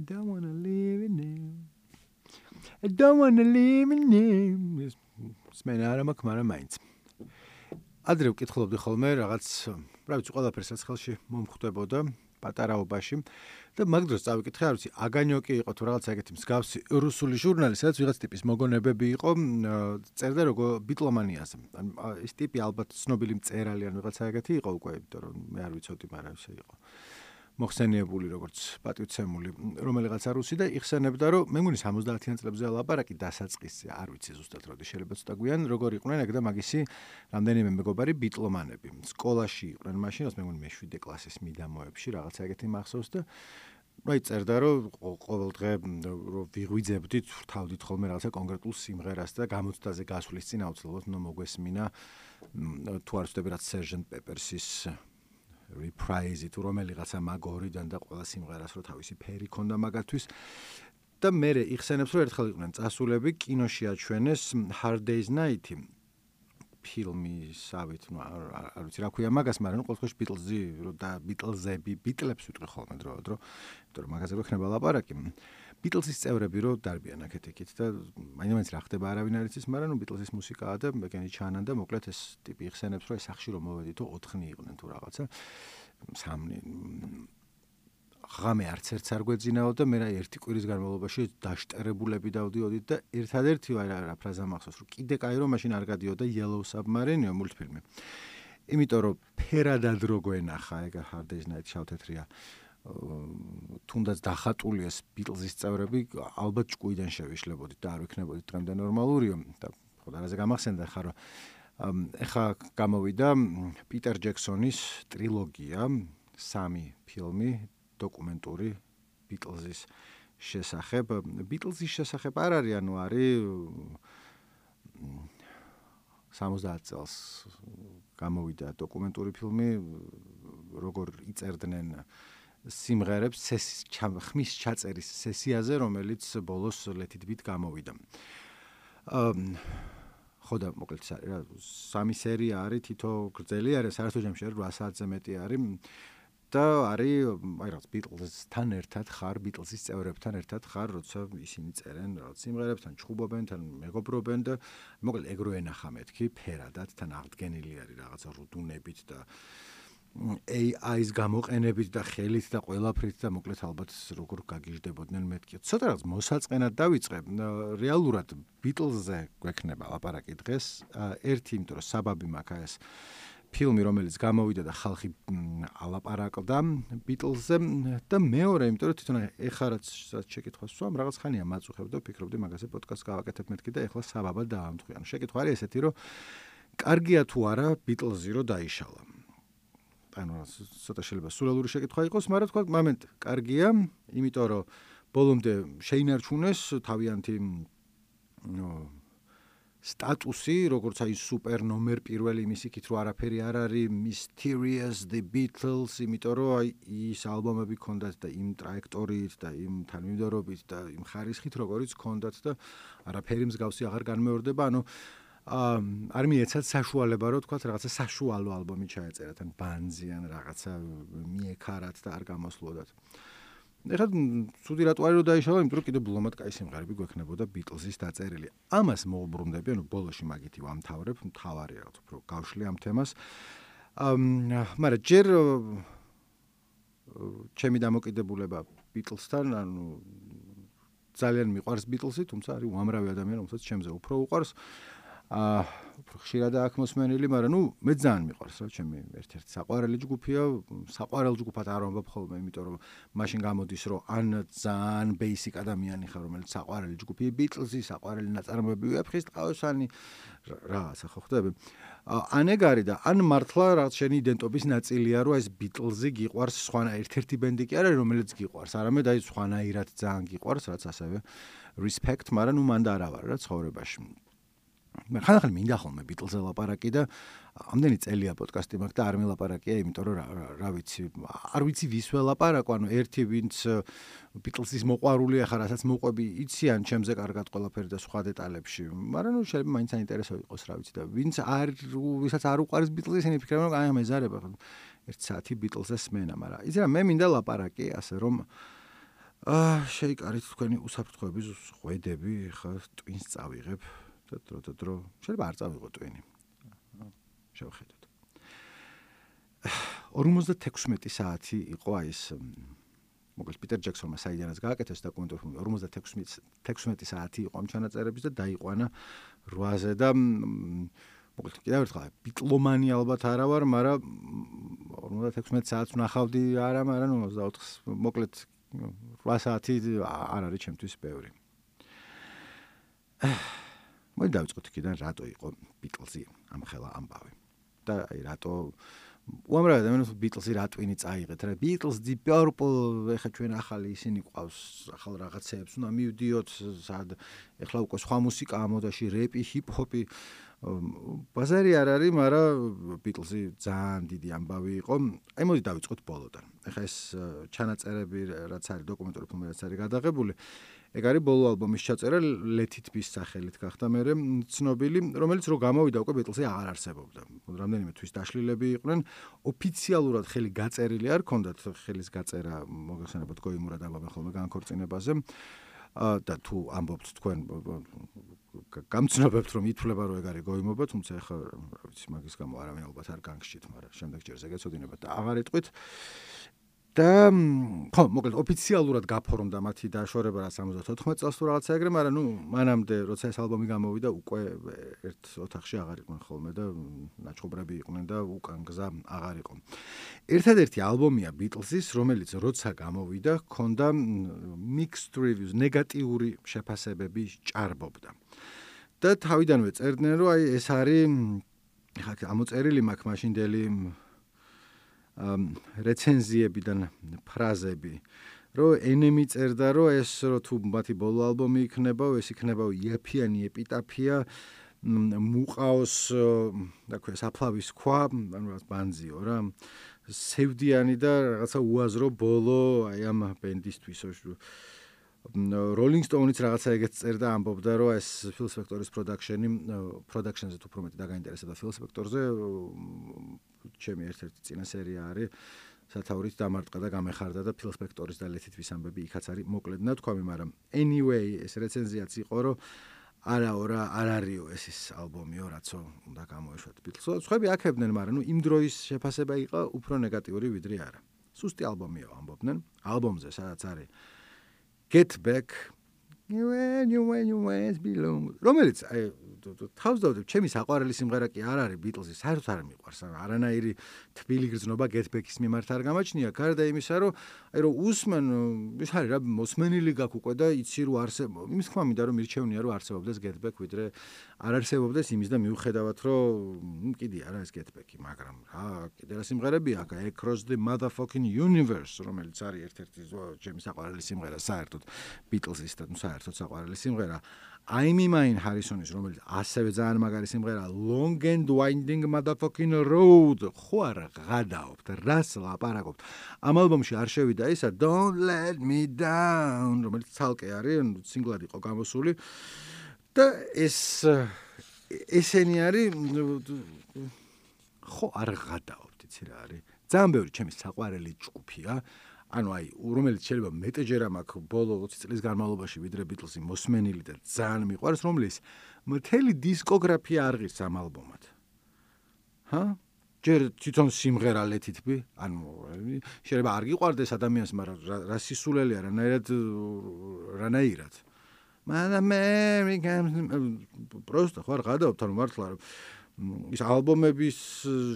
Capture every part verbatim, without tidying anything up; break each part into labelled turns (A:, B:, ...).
A: I don't wanna live in him. I don't wanna live in him. სმენა არ მაქვს, მაგრამ მაინც. ადრე ვკითხულობდი ხოლმე რაღაც, რა ვიცი, ყველაფერს რაც ხელში მომხვდებოდა პატარაობაში და მაგ დროს წავიკითხე, არ ვიცი, აგანიოკი იყო თუ რაღაც ეგეთი მსგავსი რუსული ჟურნალი, სადაც ვიღაც ტიპის მოგონებები იყო, წერდა როგორ ბიტლომანიაზე. ეს ტიპი ალბათ ცნობილი მწერალი ან ვიღაცა ეგეთი იყო უკვე, იმიტომ რომ მე არ ვიცოდი, მაგრამ ესე იყო. მოხსენიებული როგორც პატივცემული რომელიღაცა რუსი და იხსენებდა რომ მე მგონი სამოცდაათიან წლებზე ლაპარაკი დასაწყისზე არ ვიცი ზუსტად როდი შეიძლება ცოტა გვიან როგორ იყვნენ ეგ და მაგისი რამდენიმე მეგობარი ბიტლომანები სკოლაში იყვნენ მაშინ მე მგონი მეშვიდე კლასის მიდამოებში რაღაცა ეგეთი მახსოვს და აი წერდა რომ ყოველ დღე რომ ვიღვიძებდით ვრთავდით ხოლმე რაღაცა კონკრეტულ სიმღერას და გამოცდაზე გასვლის წინ აუცილებლად უნდა მოგვესმინა თუ არ ვცდები რაც Sergeant Pepper's reprise თუ რომელიღაცა მაგორიდან და ყველა სიმღერას რო თავისი ფერი ქონდა მაგათთვის და მე იხსენებს რომ ერთხელ იყვნენ წასულები კინოში აჩვენეს Hard Day's Night ფილმისავით ნუ არ ვიცი რა ქვია მაგას მაგრამ ყოველ შემთხვევაში ბიტლზი და ბიტლზები ბიტლებს ვიტყვი ხოლმე დრო დრო იმიტომ რომ მაგაზე რო ხდება ლაპარაკი ბიტლზის წევრები რო დარბიან აქეთ-იქით და მაინც რა ხდება არავინ არ იცის მაგრამ ნუ ბიტლზის მუსიკაა და მეგენი ჩანან და მოკლედ ეს ტიპი იხსენებს რომ ეს სახში რომ მოვედითო ოთხნი იყვნენ თუ რაღაცა სამნი ღამე არც ერთს არ გვეძინაო და მე რა ერთი კვირის განმავლობაში დაშტერებულები დავდიოდით და ერთადერთი რა ფრაზა მახსოვს რომ კიდე კაი რომ მაშინ არ გადიოდა Yellow Submarine მულტფილმი იმიტომ რომ ფერადად რო გვენახა ეგ Hard Day's Night შავთეთრია თუნდაც დახატული ეს ბიტლზის წევრები ალბათ ჭკუიდან შევიშლებოდით და არ ვიქნებოდით დღემდე ნორმალურიო და ხო რაღაცა გამახსენდა ხარ რომ ეხა გამოვიდა პიტერ ჯექსონის ტრილოგია სამი ფილმი დოკუმენტური ბიტლზის შესახებ ბიტლზის შესახებ არ არის ანუ არის სამოცდაათ წელს გამოვიდა დოკუმენტური ფილმი როგორ იწერდნენ სიმღერებს ხმის ჩაწერის სესიაზე რომელიც ბოლოს Let It Beat გამოვიდა ხო და მოკლედ რა სამი სერია არის თითო გრძელი არის საერთო ჯამში არის რვა საათზე მეტი არის და არის აი რაღაც ბიტლზთან ერთად ხარ ბიტლზის წევრებთან ერთად ხარ როცა ისინი წერენ რაღაც სიმღერებს თან ჩხუბობენ თან მეგობრობენ და მოკლედ ეგ რო ენახა მეთქი ფერადად თან აღდგენილი არის რაღაცა რუდუნებით და A I-ის გამოყენებით და ხელით და ყველაფრით და მოკლედ ალბათ როგორ გაგიჟდებოდნენ მეთქი ცოტა რაღაც მოსაწყენად დავიწყე რეალურად ბიტლზზე გვექნება ლაპარაკი დღეს ერთი იმიტომ რომ საბაბი მაქვს ეს ფილმი რომელიც გამოვიდა და ხალხი ალაპარაკდა ბიტლზზე და მეორე იმიტომ რომ თვითონ ეხლა რაც შეკითხვას ვსვამ რაღაც ხანია მაწუხებ და ვფიქრობდი მაგაზე პოდკასტს გავაკეთებ მეთქი და ეხლა საბაბად დაამტყვი ანუ შეკითხვა არის ესეთი რომ კარგია თუ არა ბიტლზი რო დაიშალა ანუ ცოტა შეიძლება სულელური შეკითხვა იყოს მაგრამ თქვა მომენტ კარგია იმიტომ რომ ბოლომდე შეინარჩუნეს თავიანთი ნო სტატუსი როგორც აი სუპერ ნომერ პირველი იმის იქით რომ არაფერი არ არის Mysterious The Beatles იმიტომ რომ აი ის ალბომები ქონდათ და იმ ტრაექტორიით და იმ თანმიმდევრობით და იმ ხარისხით როგორიც ქონდათ და არაფერი მსგავსი აღარ განმეორდება ანუ არ მიეცათ საშუალება რომ თქვა რაღაცა საშუალო ალბომი ჩაეწერათ ან ბანზიან რაღაცა მიექარათ და არ გამოსვლოდათ ეხლა ცუდი რატო არის რომ დაიშალა იმიტომ რომ კიდე ბლომად კაი სიმღერები გვექნებოდა ბიტლზის დაწერილი ამას მოუბრუნდები ანუ ბოლოში მაგითი ვამთავრებ მთავარი რაღაც უფრო გავშლი ამ თემას მაგრამ ჯერ ჩემი დამოკიდებულება ბიტლსთან ანუ ძალიან მიყვარს ბიტლსი თუმცა არის უამრავი ადამიანი რომელსაც ჩემზე უფრო უყვარს აა უფრო ხშირად აქ მოსმენილი, მაგრამ ნუ მე ძალიან მიყვარს რა ჩემი ერთ-ერთი საყვარელი ჯგუფია, საყვარელ ჯგუფად არ ვამბობ ხოლმე, იმიტომ რომ მაშინ გამოდის რომ ან ძალიან basic ადამიანი ხარ, რომელიც საყვარელი ჯგუფია ბიტლზი, საყვარელი ნაწარმოები ვეფხის ტყავსანი რაღაცა ხო ხდები. ან ეგ არის და ან მართლა რაღაც შენი იდენტობის ნაწილია, რომ ეს ბიტლზი გიყვარს, სხვანა ერთ-ერთი ბენდი კი არა, რომელიც გიყვარს, არამედ აი სხვანაირად ძალიან გიყვარს, რაც ასევე respect, მაგრამ ნუ მანდ არა ვარ რა ცხოვრებაში. მე ხანახან მინდა ხოლმე ბიტლზე ლაპარაკი და ამდენი წელია პოდკასტი მაქვს და არ მელაპარაკია, იმიტომ რომ რა ვიცი, არ ვიცი ვის ველაპარაკო, ანუ ერთი ვინც ბიტლზის მოყვარულია ხარ, რასაც მოყვები, იციან ჩემზე კარგად ყველაფერი და სხვა დეტალებში, მაგრამ ნუ შეიძლება მაინც საინტერესო იყოს, რა ვიცი და ვინც არ ვისაც არ უყვარს ბიტლზი, ისინი ფიქრობენ რომ აი მეზარება ერთი საათი ბიტლზე სმენა, მაგრამ იცი რა მე მინდა ლაპარაკი, ასე რომ აა შეიკარით თქვენი უსაფრთხოების ღვედები, ხა ტვინს წავიღებ და დრო და დრო შეიძლება არ წავიღო ტვინი. შევხედოთ. ორმოცდათექვსმეტი საათი იყო აი ეს მოკლედ პიტერ ჯექსონმა საიდანაც გააკეთეს დოკუმენტური ფილმი ორმოცდათექვსმეტი საათი იყო ამ ჩანაწერების და დაიყვანა რვაზე და მოკლედ კიდევ ერთხელ ბიტლომანი ალბათ არა ვარ, მაგრამ ორმოცდათექვსმეტი საათს ვნახავდი არა, მაგრამ ნუ ოცდაოთხ მოკლედ რვა საათი არ არის ჩემთვის ბევრი. მოდი დავიწყოთ იქიდან რატო იყო ბიტლზი ამხელა ამბავი. და აი რატო უამრავი ადამიანს ბიტლზი რა ტვინი წაიღეთ რა ბიტლზ დი პერპლ ეხა ჩვენ ახალი ისინი ყავს ახალ რაღაცეებს უნდა მივდიოთ სად ეხლა უკვე სხვა მუსიკაა მოდაში რეპი ჰიპ-ჰოპი ბაზარი არ არის მაგრამ ბიტლზი ძალიან დიდი ამბავი იყო აი მოდი დავიწყოთ ბოლოდან ეხა ეს ჩანაწერები რაც არის დოკუმენტური ფილმი რაც არის გადაღებული ეგ არის ბოლო ალბომის ჩაწერა Let It Be სახელით გახდა მერე ცნობილი რომელიც რო გამოვიდა უკვე ბიტლზი აღარ არსებობდა რამდენიმე თვის დაშლილები იყვნენ ოფიციალურად ხელი გაწერილი არ ქონდათ ხელის გაწერა მოგეხსენებათ გოიმურად ამბობენ ხოლმე განქორწინებაზე და თუ ამბობთ თქვენ გამცნობებთ რომ ითვლება რომ ეგ არის გოიმობა თუმცა ეხლა რა ვიცი მაგის გამო არავინ ალბათ არ განგშით მაგრამ შემდეგ ჯერზე გეცოდინებათ და აღარ იტყვით და ხო, მოკლედ ოფიციალურად გაფორმდა მათი დაშორება სამოცდათოთხმეტ წელს თუ რაღაცა ეგრე, მაგრამ ნუ მანამდე როცა ეს ალბომი გამოვიდა, უკვე ერთ ოთახში აღარ იყვნენ ხოლმე და ნაჩხობრები იყვნენ და უკან გზა აღარ იყო. ერთადერთი ალბომია ბიტლზის, რომელიც როცა გამოვიდა, ჰქონდა mixed reviews, ნეგატიური შეფასებები ჭარბობდა. და თავიდანვე წერდნენ, რომ აი ეს არის ხა ამოწერილი მაქვს მაშინდელი რეცენზიებიდან ფრაზები რომ ენემი წერდა რომ ეს რო თუ მათი ბოლო ალბომი იქნება ეს იქნება იაფიანი ეპიტაფია მუყაოს რა ქვია საფლავის ქვა ანუ ბანძიო რა სევდიანი და რაღაცა უაზრო ბოლო აი ამ ბენდისთვის Rolling Stones რაღაცა ეგეც წერდა ამბობდა რომ ეს Phil Spector-ის production-ი production-ზე თუ უფრო მეტი დაგაინტერესებდა Phil Spector-ზე ჩემი ერთ-ერთი წინა სერია არის სათაურით დამარტყა და გამეხარდა და Phil Spector-ის და Let It Be ამბები იქაც არის მოკლედ ნათქვამი მაგრამ anyway ეს რეცენზიაც იყო რომ არაო რა არ არისო ეს ის ალბომიო რაცო უნდა გამოეშვათ Beatles-ო სხვები აქებდნენ მაგრამ ნუ იმ დროის შეფასება იყო უფრო ნეგატიური ვიდრე არა სუსტი ალბომიო ამბობდნენ ალბომზე სადაც არის Get Back when you when you always belong რომელიც აი თავს დავდებ ჩემი საყვარელი სიმღერა კი არ არის ბიტლზის საერთოდ არ მიყვარს არანაირი თბილი გრძნობა Get Back-ის მიმართ არ გამაჩნია გარდა იმისა რომ აი რომ უსმენ ის არის რა მოსმენილი გაქვს უკვე და იცი რომ არსებობს იმის თქმა მინდა რომ მირჩევნია რომ არსებობდეს Get Back ვიდრე არ არსებობდეს იმის და მიუხედავად რომ კიდე არა ეს Get Back-ი მაგრამ რა კიდე რა სიმღერები აქვს Across the Motherfucking Universe რომელიც არის ერთ-ერთი ჩემი საყვარელი სიმღერა საერთოდ ბიტლზის და საერთოდ საყვარელი სიმღერა I'm Mine Harrison-ის რომელიც ასევე ძალიან მაგარი სიმღერა Long and Winding Motherfucking Road ხო არა გადაობთ რას ლაპარაკობთ ამ ალბომში არ შევიდა ისა Don't Let Me Down რომელიც ცალკე არის სინგლად იყო გამოსული და ეს ესენი არის ხო არ გადაობთ იცი რა არის ძალიან ბევრი ჩემი საყვარელი ჯგუფია ანუ აი რომელიც შეიძლება მეტჯერ მაქვს ბოლო ოცი წლის განმავლობაში ვიდრე ბიტლზი მოსმენილი და ძალიან მიყვარს რომლის მთელი დისკოგრაფია არ ღირს ამ ალბომად. ჰა? ჯერ თვითონ სიმღერა Let It Be, ანუ შეიძლება არ გიყვარდეს ადამიანს, მაგრამ რა სისულელია რანაირად რანაირად. Man Americans просто ხარ გადავთ ანუ მართლა რომ ის ალბომების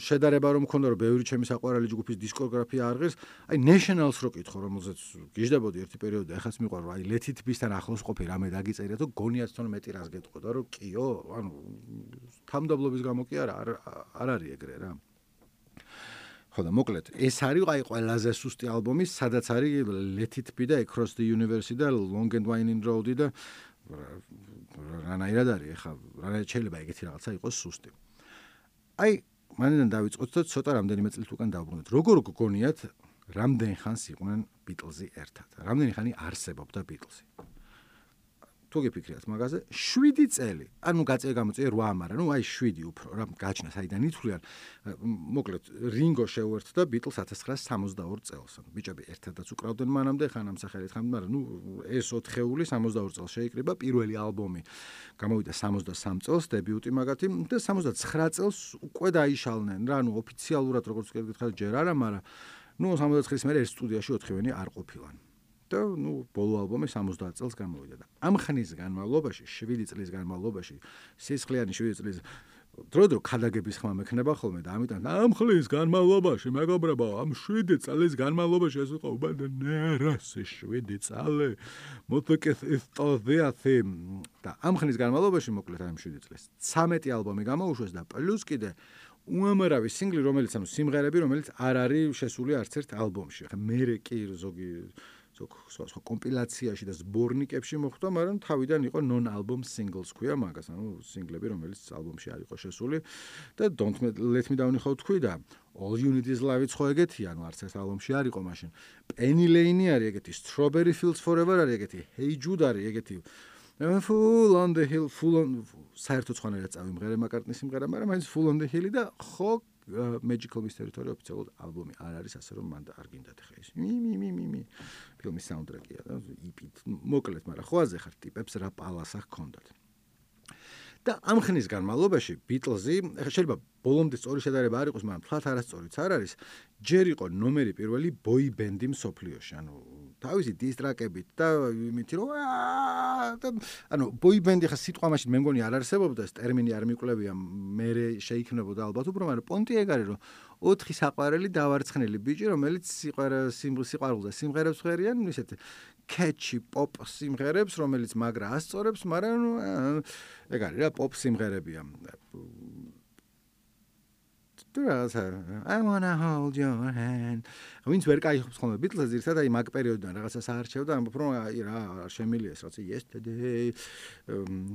A: შედარება რომ მქონდა რომ ბევრი ჩემი საყვარელი ჯგუფის დისკოგრაფია არ ღირს, აი Nationals რო კითხო, რომელზეც გიждდებოდი ერთი პერიოდი, ახაც მიყვარს, აი Let It Be-თან ახლოს ყოფი რამე დაგიწერია, თუ გონიათ თვითონ მეტი რას გეტყოდა, რომ კიო, ანუ თამდაბლობის გამო კი არა, არ არის ეგრე რა. ხო და მოკლედ, ეს არის აი ყველაზე სუსტი ალბომი, სადაც არის Let It Be და Across the Universe და Long and Winding Road და რანაირად არის, ხა, რანაირად შეიძლება ეგეთი რაღაცა იყოს სუსტი. აი, მანდ დავიწყოთ და ცოტა რამდენიმე წელს უკან დავბრუნდეთ. როგორ გგონიათ, რამდენ ხანს იყვნენ ბიტლზი ერთად? რამდენი ხანი არსებობდა ბიტლზი? თუ გიფიქრიათ მაგაზე, შვიდი წელი. ანუ გაწე გამოწია რვა, მაგრამ ნუ აი შვიდი უფრო რა გაჩნდა საიდან ითვლიან. მოკლედ რინგო შეუერთდა ბიტლს ათას ცხრაასი სამოცდაორი წელს. ანუ ბიჭები ერთადაც უკრავდნენ მანამდე, ხან ამ სახელით ხან, მაგრამ ნუ ეს ოთხეული სამოცდაორი წელს შეიკრიბა, პირველი ალბომი გამოვიდა სამოცდასამ წელს, დებიუტი მაგათი და სამოცდაცხრა წელს უკვე დაიშალნენ რა, ანუ ოფიციალურად როგორც გითხარით ჯერ არა, მაგრამ ნუ სამოცდაცხრის მერე ერთ სტუდიაში ოთხივენი არ ყოფილან. და ნუ ბოლო ალბომი სამოცდაათ წელს გამოვიდა და ამ ხნის განმავლობაში, შვიდი წლის განმავლობაში, სისხლიანი შვიდი წლის დრო-დრო ქადაგების ხმა მექნება ხოლმე და ამიტომ ამ ხნის განმავლობაში, მეგობრებო, ამ შვიდი წლის განმავლობაში ეს იყო უბანერას შვიდი წელი. მოდეკეთ ისტორიათი და ამ ხნის განმავლობაში მოკლედ ამ შვიდი წლის ცამეტი ალბომი გამოუშვეს და პლუს კიდე უამრავი სინგლი, რომელიც ანუ სიმღერები, რომელიც არ არის შესული არც ერთ ალბომში. ხა მე კი ზოგი ზოგ სხვა კომპილაციაში და ზბორნიკებში მოხვდა, მაგრამ თავიდან იყო non-album singles ქვია მაგას, ანუ სინგლები, რომელიც ალბომში არ იყო შესული და Don't Let Me Down ხო თქვი და All You Need Is Love-იც ხო ეგეთი, ანუ არც ერთ ალბომში არ იყო მაშინ. Penny Lane არის ეგეთი, Strawberry Fields Forever არის ეგეთი, Hey Jude არის ეგეთი. Full on the Hill, Full on საერთოდ სხვანაირად წავიმღერე მაკარტნის სიმღერა, მაგრამ მაინც Full on the Hill და ხო Magical Mystery Tour ოფიციალურად ალბომი არ არის, ასე რომ მანდ არ გინდათ ხა ის. მი მი მი მი მი ფილმის საუნდტრეკია და იპით. მოკლედ, მაგრამ ხო აზე ხარ ტიპებს რა პალასა ჰქონდათ. და ამ ხნის განმავლობაში ბიტლზი, ახლა შეიძლება ბოლომდე სწორი შედარება არ იყოს, მაგრამ თლათ არასწორიც არ არის, ჯერ იყო ნომერი პირველი ბოი ბენდი მსოფლიოში, ანუ თავისი დისტრაკებით და იმით რომ ანუ ბოი ბენდი ხა სიტყვა მაშინ მე მგონი არ არსებობდა, ეს ტერმინი არ მიკვლევია, მე შეიქმნებოდა ალბათ უფრო, მაგრამ პონტი ეგ არის, რომ ოთხი საყვარელი დავარცხნილი ბიჭი, რომელიც სიყვარულზე სიმღერებს ხვერიან, ისეთ catchy pop სიმღერებს, რომელიც მაგრა ასწორებს, მაგრამ ეგ არის რა pop სიმღერებია. I wanna hold your hand. ვინც ვერ კაიხობს ხოლმე ბიტლზს ერთად აი მაგ პერიოდიდან რაღაცას აარჩევდა, ამბობ რომ აი რა არ შემილია ეს რაღაცა yesterday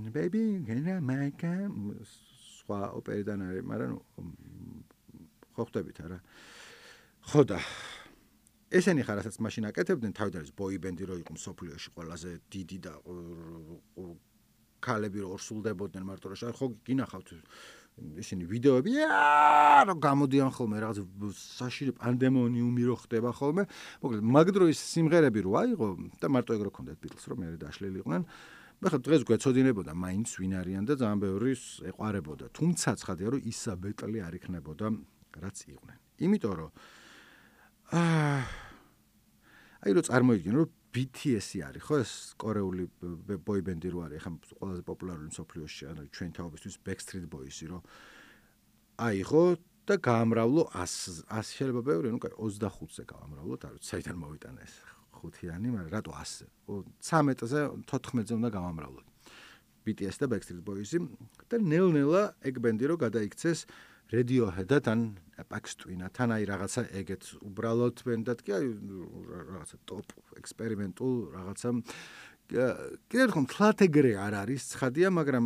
A: baby can I make სხვა ოპერიდან არის, მაგრამ ხო ხვდებით არა. ხო და ესენი ხარ რასაც მაშინ აკეთებდნენ, თავიდან არის ბოი ბენდი რო იყო მსოფლიოში ყველაზე დიდი და ქალები რო ორსულდებოდნენ მარტო რა ხო გინახავთ ისინი ვიდეოები რა გამოდიან ხოლმე რაღაც საშირი პანდემონიუმი რო ხდება ხოლმე. მოკლედ მაგ დროის სიმღერები რო აიღო და მარტო ეგ რო ქონდათ ბიტლს რომ მე დაშლილი იყვნენ. ახლა დღეს გვეცოდინებოდა მაინც ვინ არიან და ძალიან ბევრი ეყარებოდა. თუმცა ცხადია რომ ისა ბეტლი არ იქნებოდა რაც იყვნენ. იმიტომ რომ აა აი რო წარმოიდგინე რომ ბი თი ესი არის ხო ეს კორეული ბოი ბენდი რო არის ახლა ყველაზე პოპულარული მსოფლიოში ანუ ჩვენ თაობისთვის Backstreet Boys-ი რო აიღო და გაამრავლო ას შეიძლება ბევრი ნუ კაი ოცდახუთზე გაამრავლოთ არ ვიცი საიდან მოვიტანა ეს ხუთიანი მაგრამ რატო ასზე ცამეტზე თოთხმეტზე უნდა გავამრავლოთ ბი თი ესი და Backstreet Boys-ი და ნელ-ნელა ეგ ბენდი რო გადაიქცეს Radiohead-დან Apex Twin-თან აი რაღაცა ეგეთ უბრალოდ ბენდად კი აი რაღაცა ტოპ ექსპერიმენტულ რაღაცა კიდევ ერთხელ თლათ ეგრე არ არის ცხადია მაგრამ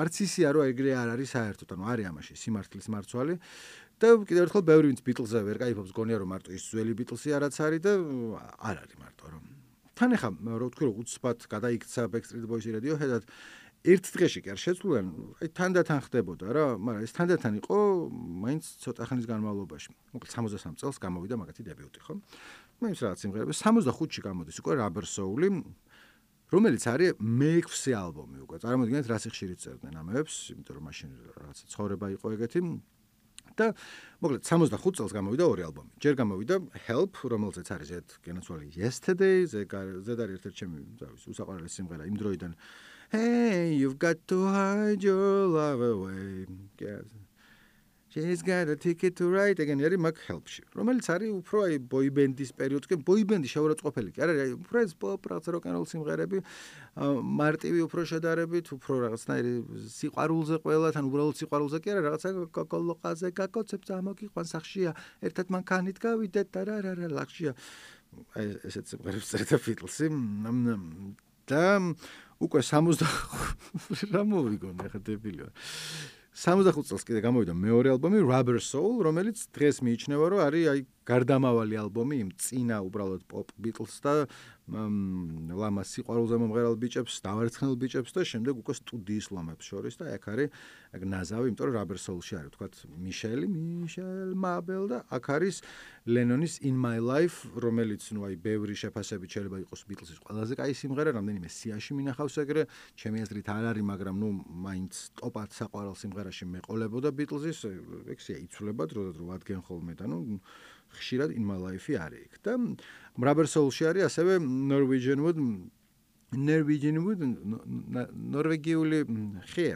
A: არც ისია რომ ეგრე არ არის საერთოდ ანუ არის ამაში სიმართლის მარცვალი და კიდევ ერთხელ ბევრი ვინც ბიტლზე ვერ кайფობს გონია რომ მარტო ის ძველი ბიტლსი არაც არის და არ არის მარტო რომ თან ახლა რო ვთქვი რომ უცბად გადაიქცა Backstreet Boys-ი Radiohead-დად ერთ დღეში კი არ შეცვლიან, აი თანდათან ხდებოდა რა, მაგრამ ეს თანდათან იყო მაინც ცოტა ხნის განმავლობაში. მოკლედ სამოცდასამ წელს გამოვიდა მაგათი დებიუტი, ხო? მაინც რაღაც სიმღერები სამოცდახუთში გამოდის უკვე Rubber Soul-ი, რომელიც არის მეექვსე ალბომი უკვე. წარმოიდგინეთ რა სიხშირით წერდნენ ამებს, იმიტომ რომ მაშინ რაღაცა ცხოვრება იყო ეგეთი. და მოკლედ სამოცდახუთ წელს გამოვიდა ორი ალბომი. ჯერ გამოვიდა Help, რომელზეც არის ერთ გენაცვალი Yesterday, ზედ არის ერთ-ერთი ჩემი უსაყვარლესი სიმღერა იმ დროიდან. Hey, you've got to hide your love away. Yes. She's got a ticket to ride again. არის მაგ Help-ში. რომელიც არის უფრო აი boy band-ის პერიოდში, boy band-ი შეურაცხყოფელი კი არა, აი უფრო ეს pop რაღაც rock and roll სიმღერები, მარტივი უფრო შედარებით, უფრო რაღაცნაირი სიყვარულზე ყველა, თან უბრალოდ სიყვარულზე კი არა, რაღაცა კოკოლოყაზე გაკოცებს ამოგიყვან სახშია, ერთად მანქანით გავიდეთ და რა რა რა ლახშია. აი ესეც სიმღერებს წერდა Beatles-ი. და უკვე სამოცდახუთი რა მოვიგონე ხა დებილი ვარ. სამოცდახუთი წელს კიდე გამოვიდა მეორე ალბომი Rubber Soul, რომელიც დღეს მიიჩნევა რომ არის აი გარდამავალი ალბომი იმ წინა უბრალოდ pop Beatles და ლამას სიყვარულზე მომღერალ ბიჭებს, დავერცხნელ ბიჭებს და შემდეგ უკვე სტუდიის ლომებს შორის და აქ არის აქ ნაზავი, იმიტომ რომ Rubber Soul-ში არის თქვათ მიშელი, მიშელ მაბელ და აქ არის ლენონის In My Life, რომელიც ნუ აი ბევრი შეფასებით შეიძლება იყოს Beatles-ის ყველაზე კაი სიმღერა, რამდენიმე სიაში მინახავს ეგრე, ჩემი აზრით არ არის, მაგრამ ნუ მაინც ტოპად საყვარელ სიმღერაში მეყოლებოდა Beatles-ის, ეგ სია იცვლება დროდადრო რო ადგენ ხოლმე და ნუ ხშირად In My Life-ი არის იქ და Rubber Soul-ში არის ასევე Norwegian Wood Norwegian Wood ნორვეგიული ხე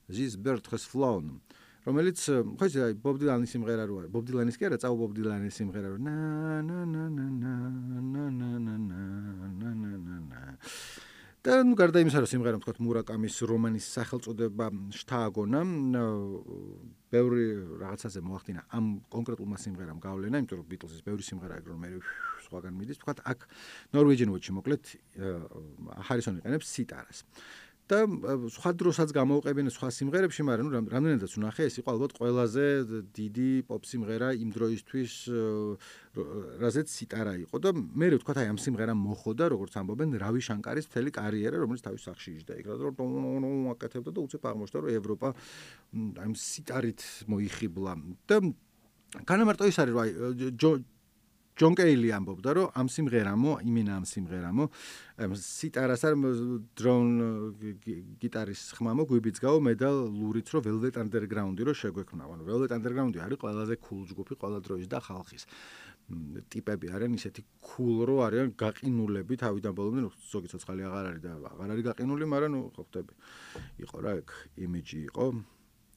A: This bird has flown რომელიც ხო იცი აი Bob Dylan-ის სიმღერა რო არის Bob Dylan-ის კი არა წაუ Bob Dylan-ის სიმღერა რო na na na na na na na na na na და ნუ გარდა იმისა რომ სიმღერამ თქვათ მურაკამის რომანის სახელწოდება შთააგონა ბევრი რაღაცაზე მოახდინა ამ კონკრეტულმა სიმღერამ გავლენა იმიტომ რომ Beatles-ის ბევრი სიმღერა ეგ რომ მე სხვაგან მიდის თქვათ აქ Norwegian Wood-ში მოკლედ ჰარისონი იყენებს სიტარას და სხვა დროსაც გამოუყევენ სხვა სიმღერებში, მაგრამ ნუ რამდენადაც ვნახე, ეს იყო ალბათ ყველაზე დიდი pop სიმღერა იმ დროისთვის, რაზეც სიტარა იყო და მე ვთქვათ, აი ამ სიმღერამ მოხოდა, როგორც ამბობენ, რავი შანკარის მთელი კარიერა, რომელიც თავის სახში იჯდა იქ, რომ აკეთებდა და უცებ აღმოჩნდა, რომ ევროპა აი ამ სიტარით მოიხიბლა და განამარტო ის არის, რომ აი ჯონ კეილი ამბობდა, რომ ამ სიმღერამო, იმენა ამ სიმღერამო, სიტარას არ დრონ გიტარის ხმამო გვიბიძგაო მე და ლურიც რომ Velvet Underground-ი რო შეგვექმნა. ანუ Velvet Underground-ი არის ყველაზე cool ჯგუფი ყველა დროის და ხალხის. ტიპები არიან ისეთი cool რო არიან გაყინულები თავიდან ბოლომდე, ზოგი ცოცხალი აღარ არის და აღარ არის გაყინული, მაგრამ ნუ ხო ხდები. იყო რა ეგ იმიჯი იყო.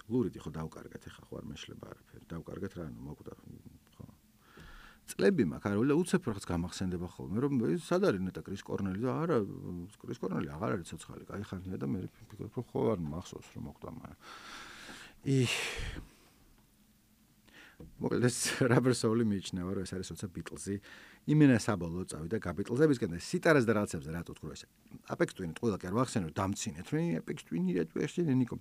A: ლურით ხო დავკარგეთ, ეხა ხო არ მეშლება არაფერი. დავკარგეთ რა, ნუ მოკვდა. წლები მაქვს არ ვიცი უცებ რაღაც გამახსენდება ხოლმე რომ სად არის ნეტა კრის კორნელი და არა კრის კორნელი აღარ არის ცოცხალი კაი ხანია და მე ვფიქრობ რომ ხო არ მახსოვს რომ მოკვდა მაგრამ ი მოკლედ ეს Rubber Soul-ი მიიჩნევა რომ ეს არის როცა Beatles-ი იმენა საბოლოოდ წავიდა გაბიტლზებისკენ და სიტარას და რაღაცებზე რატო თქვა ეს Apex Twin ყველა კი არ ვახსენებ დამცინეთ მე Apex Twin-ი რა თუ ესე ნიკო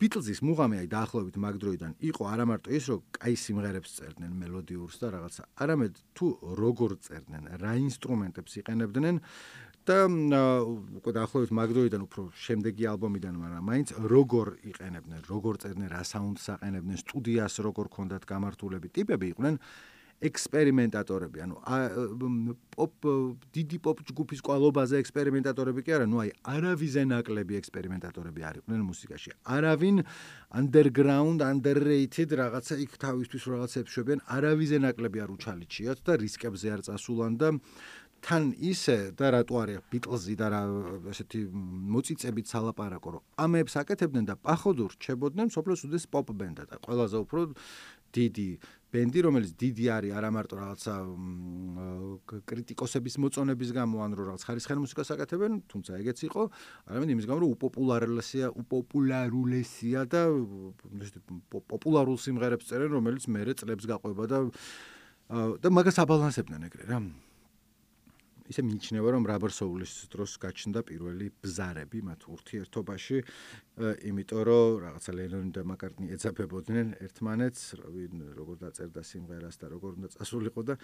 A: Beatles-ის მუღამი აი დაახლოებით მაგ დროიდან იყო არა მარტო ის რომ კაი სიმღერებს წერდნენ მელოდიურს და რაღაცა არამედ თუ როგორ წერდნენ რა ინსტრუმენტებს იყენებდნენ და უკვე დაახლოებით მაგ დროიდან უფრო შემდეგი ალბომიდან მაგრამ მაინც როგორ იყენებდნენ როგორ წერდნენ რა საუნდს აყენებდნენ სტუდიას როგორ ქონდათ გამართულები ტიპები იყვნენ ექსპერიმენტატორები, ანუ პოპ დიდი პოპ ჯგუფის კვალობაზე ექსპერიმენტატორები კი არა, ნუ აი არავიზე ნაკლები ექსპერიმენტატორები არ იყვნენ მუსიკაში. არავინ underground, underrated რაღაცა იქ თავისთვის რაღაცებს შვებიან, არავიზე ნაკლები არ უჩალიჩიათ და რისკებზე არ წასულან და თან ისე და რატო არის Beatles-ი და რა ესეთი მოწიწებით სალაპარაკო, რომ ამებს აკეთებდნენ და პახოდურ რჩებოდნენ სოფლოს უდეს პოპ ბენდა და ყველაზე უფრო დიდი ბენდი, რომელიც დიდი არის არა მარტო რაღაცა კრიტიკოსების მოწონების გამო, ან რომ რაღაც ხარისხიან მუსიკას აკეთებენ, თუმცა ეგეც იყო, არამედ იმის გამო, რომ უპოპულარულია, უპოპულარულესია და პოპულარულ სიმღერებს წერენ, რომელიც მერე წლებს გაყვება და და მაგას აბალანსებდნენ ეგრე რა. ისე მიიჩნევა რომ Rubber Soul-ის დროს გაჩნდა პირველი ბზარები მათ ურთიერთობაში, იმიტომ რომ რაღაცა ლენონი და მაკარტნი ეძაბებოდნენ ერთმანეთს, როგორ დაწერდა სიმღერას და როგორ უნდა წასულიყო და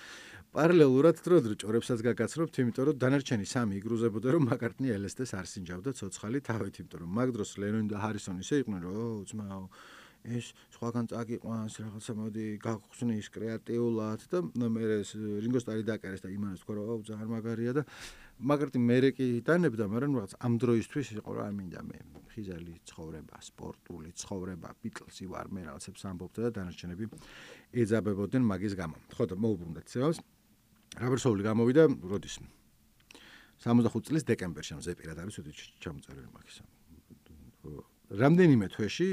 A: პარალელურად დრო-დრო ჭორებსაც გაგაცნობთ, იმიტომ რომ დანარჩენი სამი იგრუზებოდა რომ მაკარტნი ელესტეს არ სინჯავდა ცოცხალი თავით, იმიტომ რომ მაგ დროს ლენონი და ჰარისონი ისე იყვნენ რომ ო ძმაო ეს სხვაგან წაგიყვანს რაღაცა მოდი გახსნის კრეატიულად და მე რინგო სტარი დაკარეს და იმანას თქვა რომ ძალიან მაგარია და მაგარტი მერე კი დანებდა მაგრამ რაღაც ამ დროისთვის იყო რა მინდა მე ხიზალი ცხოვრება სპორტული ცხოვრება Beatles-ი ვარ მე რაღაცებს ამბობდა და დანარჩენები ეძაბებოდნენ მაგის გამო ხო და მოუბრუნდეთ ცევას Rubber Soul-ი გამოვიდა როდის სამოცდახუთი წლის დეკემბერში ამ ზეპირად არის უთი ჩამოწერილი მაგის რამდენიმე თვეში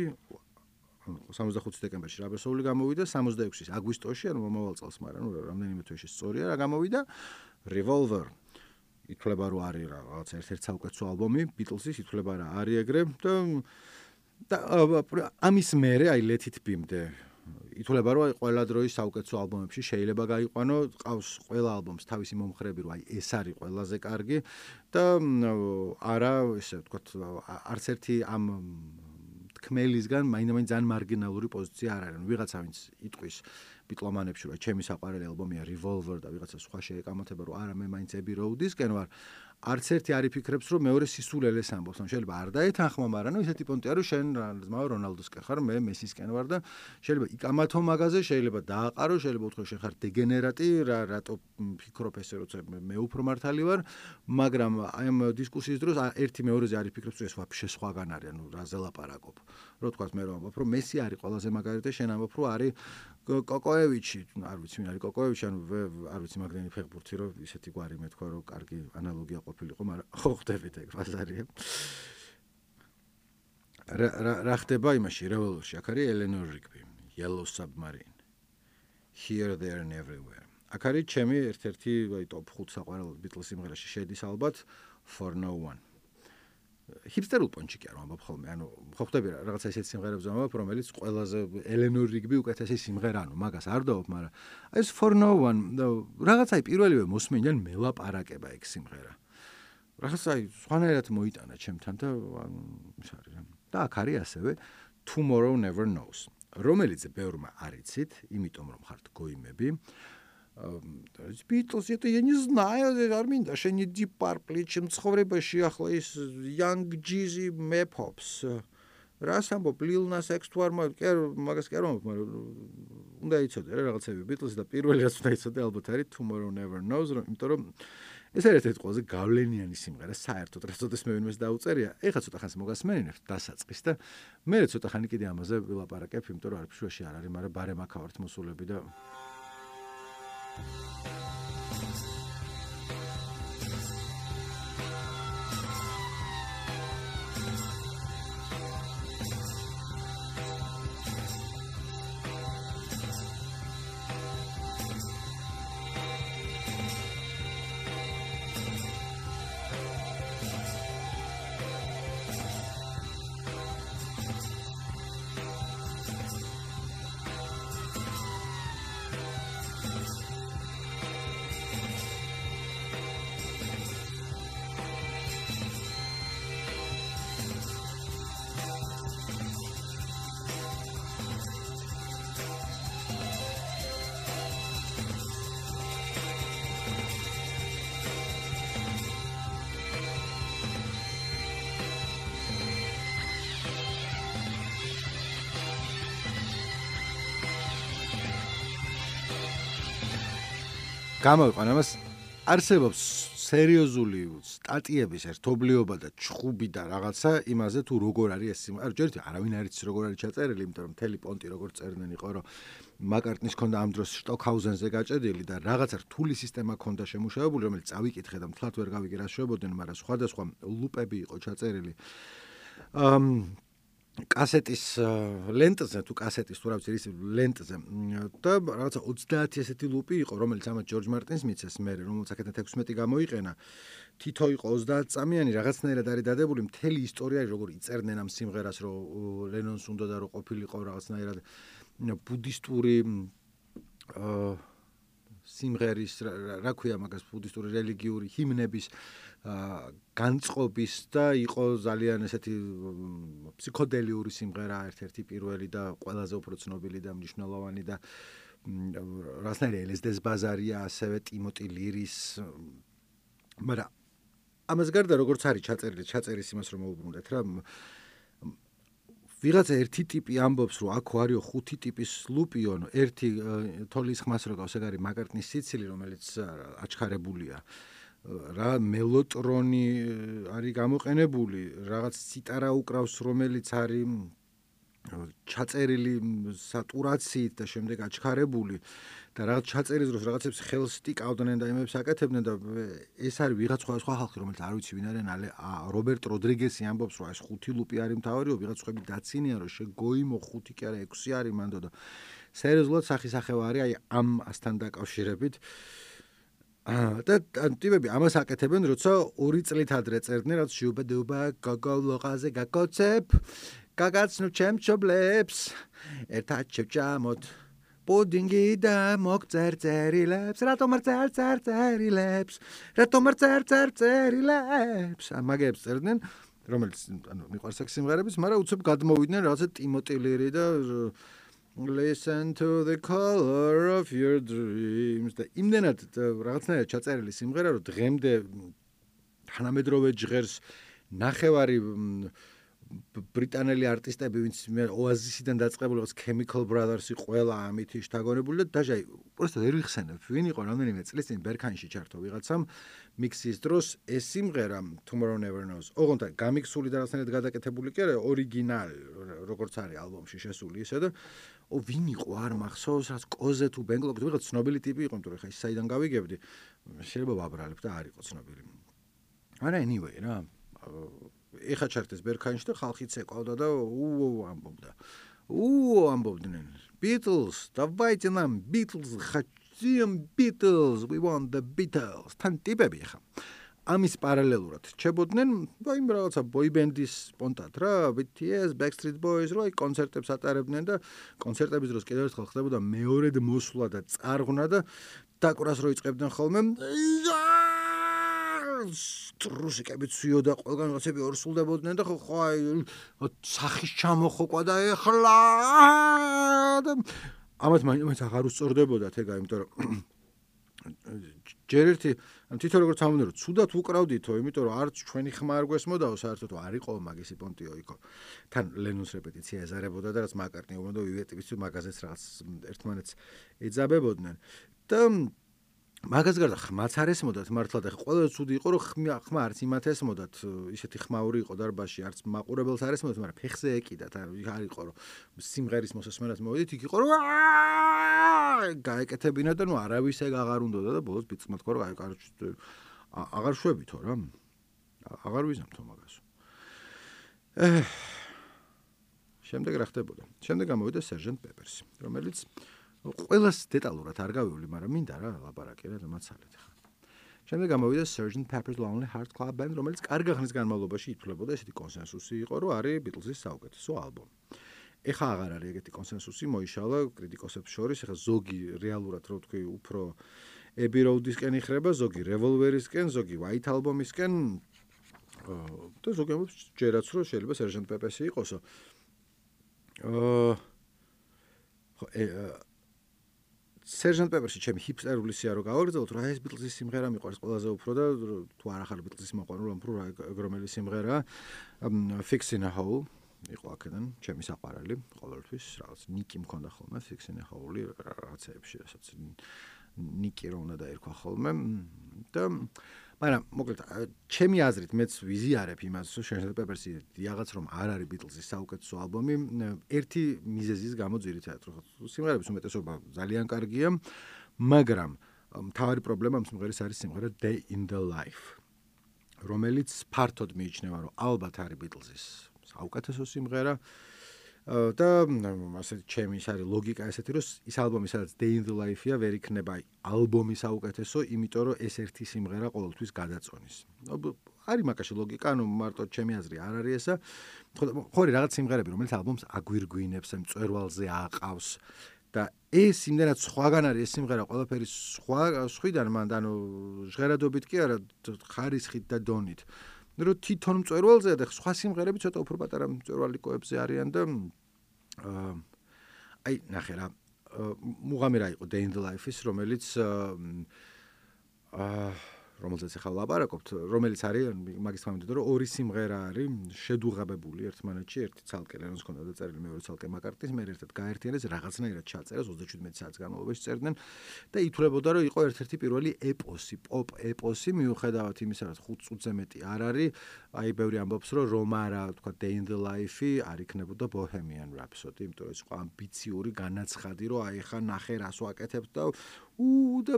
A: სამოცდახუთი დეკემბერში Rubber Soul-ი გამოვიდა, სამოცდაექვსის აგვისტოში, ანუ მომავალ წელს, მაგრამ რამდენიმე თვეში სწორია რა გამოვიდა Revolver. ითვლება რომ არის რაღაც ერთ-ერთი საუკეთესო ალბომი Beatles-ის, ითვლება რა არის ეგრე და ამის მერე აი Let It Be-მდე ითვლება რომ აი ყველა დროის საუკეთესო ალბომებში შეიძლება გაიყვანო, ყავს ყველა ალბომს თავისი მომხრები, რომ აი ეს არის ყველაზე კარგი და არა ესე ვთქვათ არც ერთი ამ თქმელისგან მაინდა-მაინც ძალიან მარგინალური პოზიცია არ არის. ვიღაცა ვინც იტყვის ბიტლომანებში, რომ ჩემი საყვარელი ალბომია Revolver და ვიღაცა სხვა შეეკამათება, რომ არა მე მაინც Abbey Road-ისკენ ვარ. არც ერთი არ იფიქრებს, რომ მეორე სისულელეს ამბობს. ან შეიძლება არ დაეთანხმა, მაგრამ ნუ ისეთი პონტია, რომ შენ ძმაო რონალდოსკენ ხარ, მე მესისკენ ვარ და შეიძლება იკამათო მაგაზე, შეიძლება დააყარო, შეიძლება უთქო შენ ხარ დეგენერატი, რა რატო ფიქრობ ესე, როცა მე უფრო მართალი ვარ, მაგრამ აი ამ დისკუსიის დროს ერთი მეორეზე არ იფიქრებს, რომ ეს ვაფშე სხვაგან არის, ანუ რაზე ლაპარაკობ. რო თქვა მე რომ ამბობ, რომ მესი არის ყველაზე მაგარი და შენ ამბობ, რომ არის კოკოევიჩი, არ ვიცი, ვინ არის კოკოევიჩი, ანუ არ ვიცი მაგდენი ფეხბურთი, რომ ისეთი გვარი მეთქვა, რომ კარგი ანალოგია ყოფილიყო, მაგრამ ხო ხდებით ეგ ბაზარია. რა ხდება იმაში, Revolver-ში, აქ არის Eleanor Rigby, Yellow Submarine, Here, There and Everywhere. აქ არის ჩემი ერთ-ერთი აი ტოპ ხუთ საყვარელ Beatles სიმღერაში შედის ალბათ For No One. ჰიპსტერულ პონჩიკი არ ვამბობ ხოლმე, ანუ ხო ხდები რა, რაღაცა ისეთ სიმღერებს ვამბობ, რომელიც ყველაზე Eleanor Rigby უკეთესი სიმღერა, ანუ მაგას არ დავობ, მაგრამ აი ეს For No One, რაღაცა პირველივე მოსმენიდან მელაპარაკება ეგ სიმღერა. რაღაცა სხვანაირად მოიტანა ჩემთან და ის არის რა. და აქ არის ასევე Tomorrow Never Knows, რომელიც ბევრმა არ იცით, იმიტომ რომ ხართ გოიმები. Beatles, это я не знаю, არ მინდა შენი Deep Purple, ჩემ ცხოვრებაში ახლა ის Young Jeezy Map-Hops. რას ამბობ, Lil Nas X თუ არ მაგას კი არ ვამბობ, მაგრამ უნდა იცოდე რა რაღაცები Beatles და პირველი რაც უნდა იცოდე ალბათ არის Tomorrow Never Knows, იმიტომ რომ ეს არის ერთ-ერთი ყველაზე გავლენიანი სიმღერა საერთოდ, რაც ოდესმე ვინმეს დაუწერია. ეხლა ცოტა ხანს მოგასმენინებთ დასაწყის და მე ცოტა ხანი კიდე ამაზე ვილაპარაკებ, იმიტომ რომ არაფერში არ არის, მაგრამ ბარემ აქ ვართ მოსულები და გამოვიყან ამას არსებობს სერიოზული სტატიების ერთობლიობა და ჩხუბი და რაღაცა იმაზე თუ როგორ არის ეს სიმღერა. არ ჯერით არავინ არ იცის როგორ არის ჩაწერილი, იმიტომ რომ მთელი პონტი როგორ წერდნენ იყო, რომ მაკარტნის ქონდა ამ დროს შტოკჰაუზენზე გაჭედილი და რაღაცა რთული სისტემა ქონდა შემუშავებული, რომელიც წავიკითხე და მთლად ვერ გავიგე რა შვებოდნენ, მაგრამ სხვადასხვა ლუპები იყო ჩაწერილი. ამ კასეტის ლენტზე თუ კასეტის თუ რა ვიცი ის ლენტზე და რაღაცა ოცდაათი ესეთი ლუპი იყო, რომელიც ამათ ჯორჯ მარტინს მიცეს მე, რომელიც აქედან ექვსმეტი გამოიყენა. თითო იყო ოცდაათი წამიანი, რაღაცნაირად არის დადებული მთელი ისტორია, როგორ იწერდნენ ამ სიმღერას, რომ ლენონს უნდა და რომ ყოფილიყო რაღაცნაირად ბუდისტური აა სიმღერის რა ქვია მაგას ბუდისტური რელიგიური ჰიმნების განწყობის და იყო ძალიან ესეთი ფსიქოდელიური სიმღერა, ერთ-ერთი პირველი და ყველაზე უფრო ცნობილი და მნიშვნელოვანი და რაღაცნაირი ელ ეს დი-ს ბაზარია, ასევე ტიმოტი ლირის. მაგრამ ამას გარდა როგორც არის ჩაწერილი, ჩაწერის იმას რომ მოუბრუნდეთ რა. ვიღაცა ერთი ტიპი ამბობს, რომ აქ არისო ხუთი ტიპის ლუპიო, ერთი თოლის ხმას რო გავს, ეგ არის მაკარტნის სიცილი, რომელიც აჩქარებულია. რა მელოტრონი არის გამოყენებული, რაღაც სიტარა უკრავს, რომელიც არის ჩაწერილი სატურაციით და შემდეგ აჩქარებული და რაღაც ჩაწერის დროს რაღაცებს ხელს ტიკავდნენ და იმებს აკეთებდნენ და ეს არის ვიღაც სხვა სხვა ხალხი, რომელიც არ ვიცი ვინ არიან, რობერტ როდრიგესი ამბობს, რომ ეს ხუთი ლუპი არის მთავარიო, ვიღაც სხვები დაცინიან, რომ შეგოიმო ხუთი კი არა ექვსი არის მანდო და სერიოზულად სახისახევა არის აი ამ ასთან დაკავშირებით. და ტიპები ამას აკეთებენ, როცა ორი წლით ადრე წერდნენ, რაც შუბადუბა გოგო ლოყაზე გაკოცებ, გაგაცნო ჩემ ჩობლებს, ერთად შევჭამოთ პუდინგი და მოგწერწერილებს, რატომ არ წერწერილებს, რატომ არ წერწერილებს, მაგებს წერდნენ, რომელიც ანუ მიყვარს აქ სიმღერების, მაგრამ უცებ გადმოვიდნენ რაღაცა ტიმოტი ლირი და Listen to the color of your dreams. და იმდენად რაღაცნაირად ჩაწერილი სიმღერა, რომ დღემდე თანამედროვე ჟღერს ნახევარი ბრიტანელი არტისტები, ვინც ოაზისიდან დაწყებული, როგორც Chemical Brothers-ი ყველა ამით შთაგონებული და დაჟე просто ვერ ვიხსენებ, ვინ იყო რამდენიმე წლის წინ ბერქანში ჩართო ვიღაცამ მიქსის დროს ეს სიმღერა Tomorrow Never Knows. ოღონდ გამიქსული და რაღაცნაირად გადაკეთებული კი არა, ორიგინალი, როგორც არის ალბომში შესული ისე და ო ვინ იყო არ მახსოვს, რაც კოზე თუ ბენგლოკი თუ ვიღაც ცნობილი ტიპი იყო, იმიტომ რომ ხა ის საიდან გავიგებდი, შეიძლება ვაბრალებ და არ იყო ცნობილი. არა anyway რა ეხა ჩართეს ბერქანში და ხალხიც ეკავდა და უუ ამბობდა. უუ ამბობდნენ. Beatles, давайте нам Beatles, хотим Beatles, we want the Beatles. თან ტიპები ხა. ამის პარალელურად ჩებოდნენ, აი იმ რაღაცა ბოიბენდის სპონტად რა, B T S, Backstreet Boys, რა, კონცერტებს ატარებდნენ და კონცერტების დროს კიდევ ერთხელ ხდებოდა მეორედ მოსვლა და წარღვნა და დაკვრას რო იწყებდნენ ხოლმე. რუსიკები ცვიოდა ყველგან რაღაცები ორსულდებოდნენ და ხო აი სახის ჩამოხოკვა და ეხლა და ამათ მაინც აღარ უსწორდებოდათ ეგა, იმიტომ რომ ჯერ ერთი თვითონ როგორც ამბობდნენ რომ ცუდად უკრავდითო, იმიტომ რომ არც ჩვენი ხმა არ გვესმოდაო, საერთოდ არ იყო მაგისი პონტიო იქო. თან ლენონს რეპეტიცია ეზარებოდა და რაც მაკარტნი უნდა ვივეტების მაგაზეც რაღაც ერთმანეთს ეძაბებოდნენ და მაგას გარდა ხმაც არ ესმოდათ მართლა და ყველა ცუდი იყო რომ ხმა არც იმათ ესმოდათ, ისეთი ხმაური იყო დარბაზში, არც მაყურებელს არ ესმოდათ, მაგრამ ფეხზე ეკიდათ, არ იყო რომ სიმღერის მოსასმენად მოვიდით, იქ იყო რომ გაეკეთებინა და ნუ არავის ეგ აღარ უნდოდა და ბოლოს ბიწყმა თქვა რომ აი აღარ შვებითო რა. აღარ ვიზამთო მაგას. ე შემდეგ რა ხდებოდა? შემდეგ გამოვიდა Sergeant Pepper-ი, რომელიც ყველას დეტალურად არ გავივლი, მაგრამ მინდა რა ლაპარაკი რა დამაცალეთ ხა. შემდეგ გამოვიდა Sergeant Pepper's Lonely Hearts Club Band, რომელიც კარგი ხნის განმავლობაში ითვლებოდა, ესეთი კონსენსუსი იყო, რომ არის Beatles-ის საუკეთესო ალბომი. ეხა აღარ არის ეგეთი კონსენსუსი, მოიშალა კრიტიკოსებს შორის, ეხა ზოგი რეალურად რო ვთქვი, უფრო Abbey Road-ისკენ იხრება, ზოგი Revolver-ისკენ, ზოგი White Album-ისკენ და ზოგი ამბობს ჯერაც რომ შეიძლება Sergeant Pepper-ი იყოსო. აა Sergeant Pepper-ში ჩემი ჰიპსტერული სია რო გავაგრძელოთ, რა ეს Beatles-ის სიმღერა მიყვარს ყველაზე უფრო და თუ არ ახარ Beatles-ის მოყვარული, უფრო რომელი სიმღერაა Fix in a Hole იყო აქედან, ჩემი საყვარელი ყოველთვის, რაღაც ნიკი მქონდა ხოლმე Fix in a Hole-ი რაღაცეებში, რასაც ნიკი რო უნდა დაერქვა ხოლმე და მაგრამ მოკლედ ჩემი აზრით მეც ვიზიარებ იმას, რომ Sergeant Pepper-ი რაღაც რომ არ არის Beatles-ის საუკეთესო ალბომი, ერთი მიზეზის გამო ძირითადად, რომ სიმღერების უმეტესობა ძალიან კარგია, მაგრამ მთავარი პრობლემა ამ სიმღერის არის სიმღერა Day in the Life, რომელიც ფართოდ მიიჩნევა, რომ ალბათ არის Beatles-ის საუკეთესო სიმღერა და ასეთი ჩემი ის არის ლოგიკა ესეთი, რომ ის ალბომი სადაც Day in the Life-ია, ვერ იქნება ალბომი საუკეთესო, იმიტომ რომ ეს ერთი სიმღერა ყოველთვის გადაწონის. არის მაგაში ლოგიკა, ანუ მარტო ჩემი აზრი არ არის ესა. ხო რაღაც სიმღერები, რომელიც ალბომს აგვირგვინებს, ამ მწვერვალზე აყავს და ეს იმდენად სხვაგან არის ეს სიმღერა, ყველაფერი სხვა სხვიდან მანდ, ანუ ჟღერადობით კი არა, ხარისხით და დონით. რომ თვითონ მწვერვალზეა და სხვა სიმღერები ცოტა უფრო პატარა მწვერვალიკოებზე არიან და აი ნახე რა მუღამი რა იყო Day in the Life-ის, რომელიც აა რომელზეც ახლა ვლაპარაკობთ, რომელიც არის მაგის თქმამდე, რომ ორი სიმღერა არის შედუღაბებული ერთმანეთში, ერთი ცალკე ლენონს ჰქონდა დაწერილი, მეორე ცალკე მაკარტნის, მე ერთად გაერთიანეს, რაღაცნაირად ჩაწერეს ოცდაშვიდმეტი საათის განმავლობაში წერდნენ და ითვლებოდა, რომ იყო ერთ-ერთი პირველი ეპოსი, პოპ ეპოსი, მიუხედავად იმისა, რომ ხუთ წუთზე მეტი არ არის, აი ბევრი ამბობს, რომ რომარა, თქვა Day in the Life-ი არ იქნებოდა Bohemian Rhapsody, იმიტომ რომ ის იყო ამბიციური, განაცხადი, რომ აი ხა ნახე რას ვაკეთებ და უ და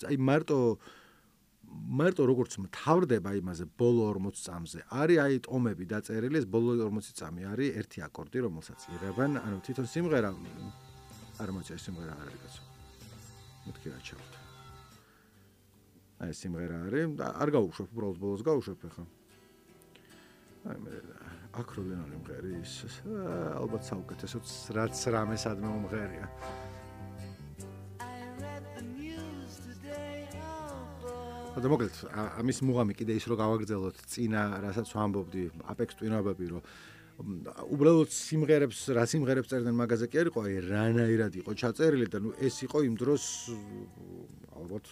A: აი მარტო მარტო როგორც მთავრდება იმაზე ბოლო ორმოც წამზე არის აი ტომები დაწერილი, ეს ბოლო ორმოცი წამი არის ერთი აკორდი, რომელსაც იღებენ, ანუ თვითონ სიმღერა არ მოიწევს, სიმღერა არ არის კაცო. მეთქი რა ჩავთ. აი სიმღერა არის, არ გავუშვებ, უბრალოდ ბოლოს გავუშვებ ხა. აი მე აკროლენალი მღერის, ალბათ საუკეთესო რაც რამე სადმე მომღერია. და მოკლედ ამის მუღამი კიდე ის რომ გავაგრძელოთ წინა, რასაც ვამბობდი, Apex Twin-ობები, რომ უბრალოდ სიმღერებს რა სიმღერებს წერდნენ მაგაზე კი არ იყო, აი რანაირად იყო ჩაწერილი და ნუ ეს იყო იმ დროს ალბათ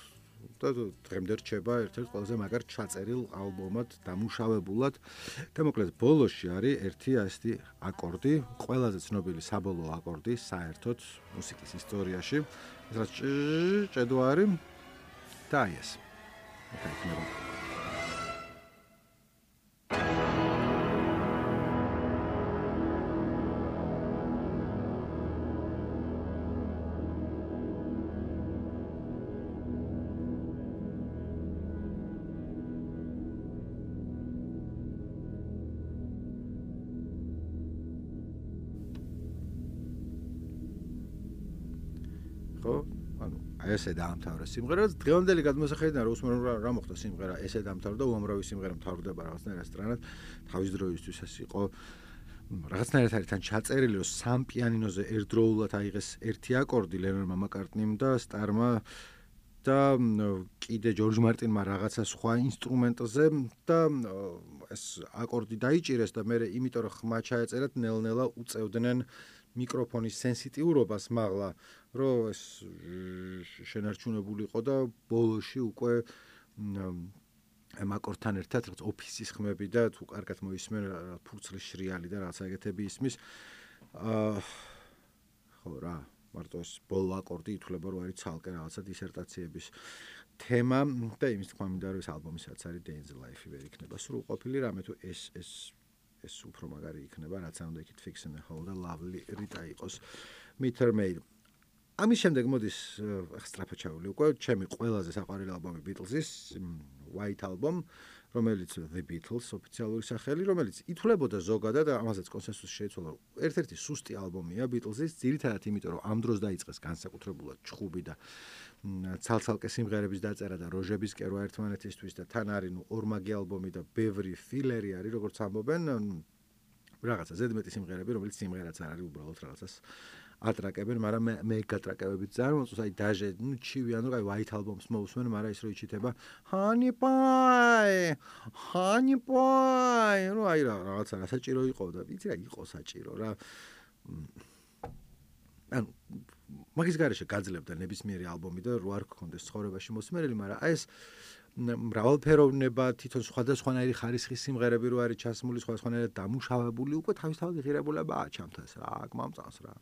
A: და დღემდე რჩება ერთ-ერთ ყველაზე მაგარ ჩაწერილ ალბომად, დამუშავებულად და მოკლედ ბოლოში არის ერთი ასეთი აკორდი, ყველაზე ცნობილი საბოლოო აკორდი საერთოდ მუსიკის ისტორიაში, ეს რაც ჭედო არის და აი ეს. აკეთებ. ხო? ანუ ესე დაამთავრა სიმღერა. დღევანდელი გადმოსახედიდან რა უსმენ რა მოხდა სიმღერა, ესე დაამთავრდა, უამრავი სიმღერა მთავრდება რაღაცნაირად სწრანად. თავის დროისთვის ეს იყო რაღაცნაირად არის თან ჩაწერილი, რომ სამ პიანინოზე ერთდროულად აიღეს ერთი აკორდი ლენონმა მაკარტნიმ და სტარმა და კიდე ჯორჯ მარტინმა რაღაცა სხვა ინსტრუმენტზე და ეს აკორდი დაიჭირეს და მე იმიტომ რომ ხმა ჩაეწერათ ნელ-ნელა უწევდნენ მიკროფონის სენსიტიურობას მაღლა, რომ ეს შენარჩუნებულიყო და ბოლოში უკვე ამ აკორდთან ერთად რაღაც ოფისის ხმები და თუ კარგად მოისმენ ფურცლის შრიალი და რაღაც ეგეთები ისმის. აა ხო რა, მარტო ეს ბოლო აკორდი ითვლება რომ არის ცალკე რაღაცა დისერტაციების თემა და იმის თქმა მინდა რომ ეს ალბომისაც არის Day in the Life ვერ იქნება სრულყოფილი რამე თუ ეს ეს ეს უფრო მაგარი იქნება, რაც არ უნდა იქით Fix in the Hole და Lovely Rita იყოს Meter Maid. ამის შემდეგ მოდის სწრაფად ჩავული უკვე ჩემი ყველაზე საყვარელი ალბომი Beatles-ის White Album, რომელიც The Beatles ოფიციალური სახელი, რომელიც ითვლებოდა ზოგადად და ამასაც კონსენსუსი შეიცვალა. ერთ-ერთი სუსტი ალბომია Beatles-ის, ძირითადად იმიტომ რომ ამ დროს დაიწყეს განსაკუთრებულად ჩხუბი და ცალ-ცალკე სიმღერების დაწერა და როჟების კერვა ერთმანეთისთვის და თან არის ნუ ორმაგი ალბომი და ბევრი ფილერი არის, როგორც ამბობენ, რაღაცა ზედმეტი სიმღერები, რომელიც სიმღერაც არ არის, უბრალოდ რაღაცას ატრაკებენ, მაგრამ მე მე გატრაკებებით ძალიან მოწონს, აი დაჟე, ნუ ჩივი, ანუ აი White Album-ს მოусმენ, მაგრამ ის რო იჩითება Honey Pie, Honey Pie, ну აი რა რაღაცა საჭირო იყო და ვიცი რა იყო საჭირო რა. ანუ მაგის გარეშე გაძლებდა ნებისმიერი ალბომი და რო არ გქონდეს ცხოვრებაში მოსმენელი, მაგრამ აი ეს მრავალფეროვნება, თვითონ სხვადასხვანაირი ხარისხის სიმღერები რო არის ჩასმული, სხვადასხვანაირად დამუშავებული, უკვე თავისთავად ღირებულებაა ჩამთას რა, გმამწანს რა.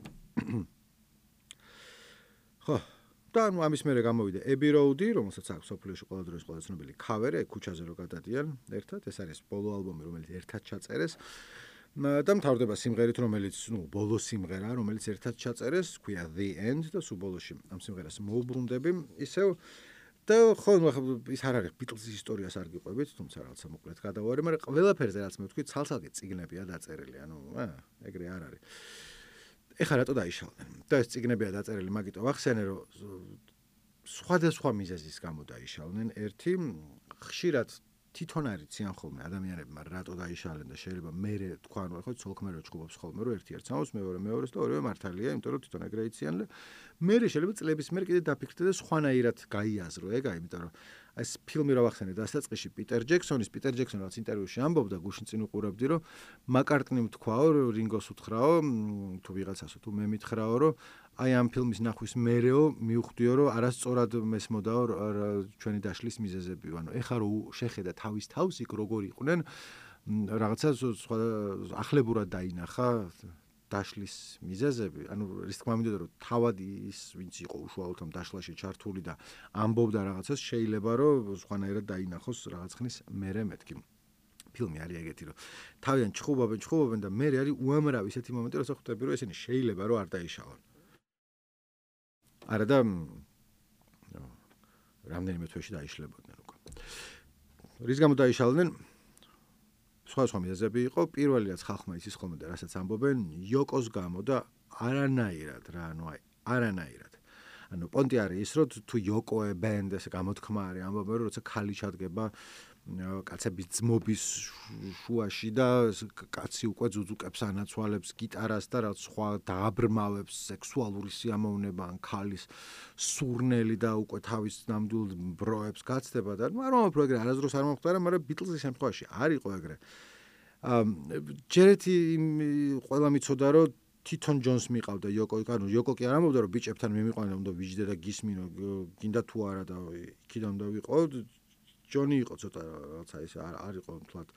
A: ხო, და ნუ ამის მერე გამოვიდა Abbey Road, რომელსაც აქვს სოფლიოში ყველა დროის ყველა ცნობილი ქავერი, ქუჩაზე რო გადადიან ერთად, ეს არის ბოლო ალბომი, რომელიც ერთად ჩაწერეს. და მთავრდება სიმღერით, რომელიც, ნუ, ბოლო სიმღერა, რომელიც ერთად ჩაწერეს, ქვია The End და სულ ბოლოში ამ სიმღერას მოუბრუნდები, ისევ და ხო, ის არ არის Beatles-ის ისტორიას არ გიყვებით, თუმცა რაღაცა მოკლედ გადავარი, მაგრამ ყველაფერზე რაც მე ვთქვი, ცალ-ცალკე წიგნებია დაწერილი, ანუ, აა, ეგრე არ არის. ეხლა რატო დაიშალდნენ? და ეს წიგნებია დაწერილი, მაგიტო ვახსენე, რომ სხვადასხვა მიზეზის გამო დაიშალდნენ. ერთი ხშირად თვითონ არიციან ხოლმე ადამიანებმა რატო დაიშალენ და შეიძლება მერე თქვა, ანუ ხო ცოლქმე რო ჩხუბობს ხოლმე, რომ ერთი ერთ სამოს მეორე მეორეს და ორივე მართალია, იმიტომ რომ თვითონ ეგრე იციან და მერე შეიძლება წლების მერე კიდე დაფიქრდე და სხვანაირად გაიაზრო ეგ, აი, იმიტომ რომ ეს ფილმი რა ვახსენე დასაწყისში პიტერ ჯექსონის, პიტერ ჯექსონი რაც ინტერვიუში ამბობდა, გუშინ წინ უყურებდი, რომ მაკარტნიმ თქვაო, რინგოს უთხრაო, თუ ვიღაცასო, თუ მე მითხრაო, რომ აი ამ ფილმის ნახვის მერეო მივხვდიო, რომ არასწორად მესმოდაო ჩვენი დაშლის მიზეზები, ანუ ეხა რო შეხედა თავის თავს იქ როგორ იყვნენ, რაღაცა სხვა ახლებურად დაინახა დაშლის მიზეზები, ანუ რის თქმა მინდოდა რომ თავად ის ვინც იყო უშუალოდ ამ დაშლაში ჩართული და ამბობდა რაღაცას, შეიძლება რომ სხვანაირად დაინახოს რაღაც ხნის მერე მეთქი. ფილმი არის ეგეთი, რომ თავიდან ჩხუბობენ, ჩხუბობენ და მერე არის უამრავი ისეთი მომენტი, როცა ხვდები, რომ ესენი შეიძლება რომ არ დაიშალონ. არა და რამდენიმე თვეში დაიშლებოდნენ უკვე. რის გამო დაიშალდნენ? სხვა სხვა მიზეზები იყო, პირველი რაც ხალხმა იცის ხოლმე და რასაც ამბობენ, იოკოს გამო და არანაირად რა, ანუ აი, არანაირად. ანუ პონტი არის ის, რომ თუ იოკოე ბენდ ესე გამოთქმა არის, ამბობენ, რომ როცა ქალი ჩადგება კაცების ძმობის შუაში და კაცი უკვე ძუძუკებს ანაცვალებს გიტარას და რაც სხვა დააბრმავებს სექსუალური სიამოვნება ან ქალის სურნელი და უკვე თავის ნამდვილ ბროებს გაცდება და მაგრამ უფრო ეგრე არასდროს არ მომხდარა, მაგრამ Beatles-ის შემთხვევაში არ იყო ეგრე. ჯერეთი ყველა მიცოდა რომ თვითონ ჯონს მიყავდა იოკო, ანუ იოკო კი არ ამბობდა რომ ბიჭებთან მიმიყვანა, უნდა ვიჯდე და გისმინო, გინდა თუ არა და იქიდან უნდა ვიყო. ჯონი იყო ცოტა რაღაცა ის არ იყო თლად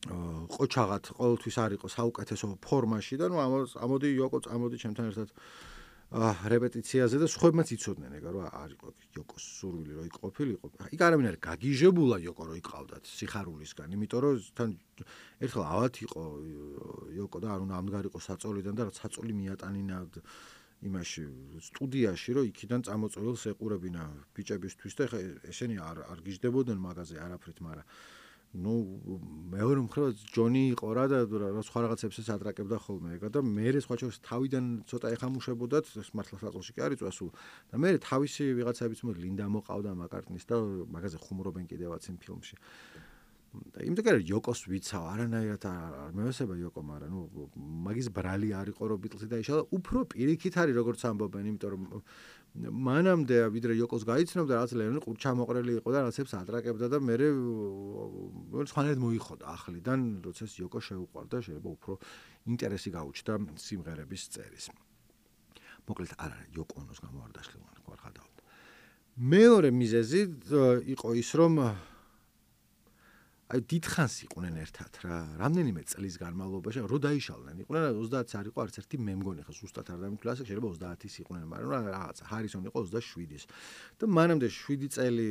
A: ყოჩაღად ყოველთვის არ იყო საუკეთესო ფორმაში და ნუ ამოდი იოკო, ამოდი ჩემთან ერთად რეპეტიციაზე და სხვებმაც იცოდნენ ეგა რომ არ იყო იოკოს სურვილი რომ იქ ყოფილიყო. იქ არავინ არ გაგიჟებულა იოკო რომ იყავდათ სიხარულისგან, იმიტომ რომ თან ერთხელ ავად იყო იოკო და არ უნდა ამდგარიყო საწოლიდან და რაც საწოლი მიატანინა იმაში სტუდიაში რომ იქიდან წამოწოვილს ეყურებინა ბიჭებისთვის და ესენი არ არ გიждდებოდნენ მაგაზე არაფრით, მაგრამ ნუ მეორე მხრივ ჯონი იყო რა და სხვა რაღაცებსაც ადრაკებდა ხოლმე ეგა და მე სხვა შორის თავიდან ცოტა ეხამუშებოდათ მართლა საწოლში კი არ იწვა სულ და მე თავისი ვიღაცებიც მო ლინდა მოყავდა მაკარტნის და მაგაზე ხუმრობენ კიდევაც იმ ფილმში და იმდენად იოკოს ვიცავ არანაირად არ მევესება იოკო, მაგრამ ნუ მაგის ბრალი არ იყო რომ ბიტლსი დაიშალა, უფრო პირიქით არის როგორც ამბობენ, იმიტომ რომ მანამდე ვიდრე იოკოს გაიცნობდა რაც ლენონი ყურჩამოყრელი იყო და რაღაცებს ადრაკებდა და მე სხვანაირად მოიხოდა ახლიდან, როცა იოკო შეუყვარდა, შეიძლება უფრო ინტერესი გაუჩნდა სიმღერების წერის. მოკლედ არ არის იოკო ონოს გამოარდაშლი ვარ ხადავთ. მეორე მიზეზი იყო ის რომ აი დიდხანს იყვნენ ერთად რა, რამდენიმე წლის განმავლობაში, რო დაიშალნენ, იყვნენ ოცდაათს არ იყო არც ერთი მე მგონი ხა ზუსტად არ დამითვლას, შეიძლება ოცდაათის იყვნენ, მაგრამ რაღაცა ჰარისონი იყო ოცდაშვიდის. და მანამდე შვიდი წელი,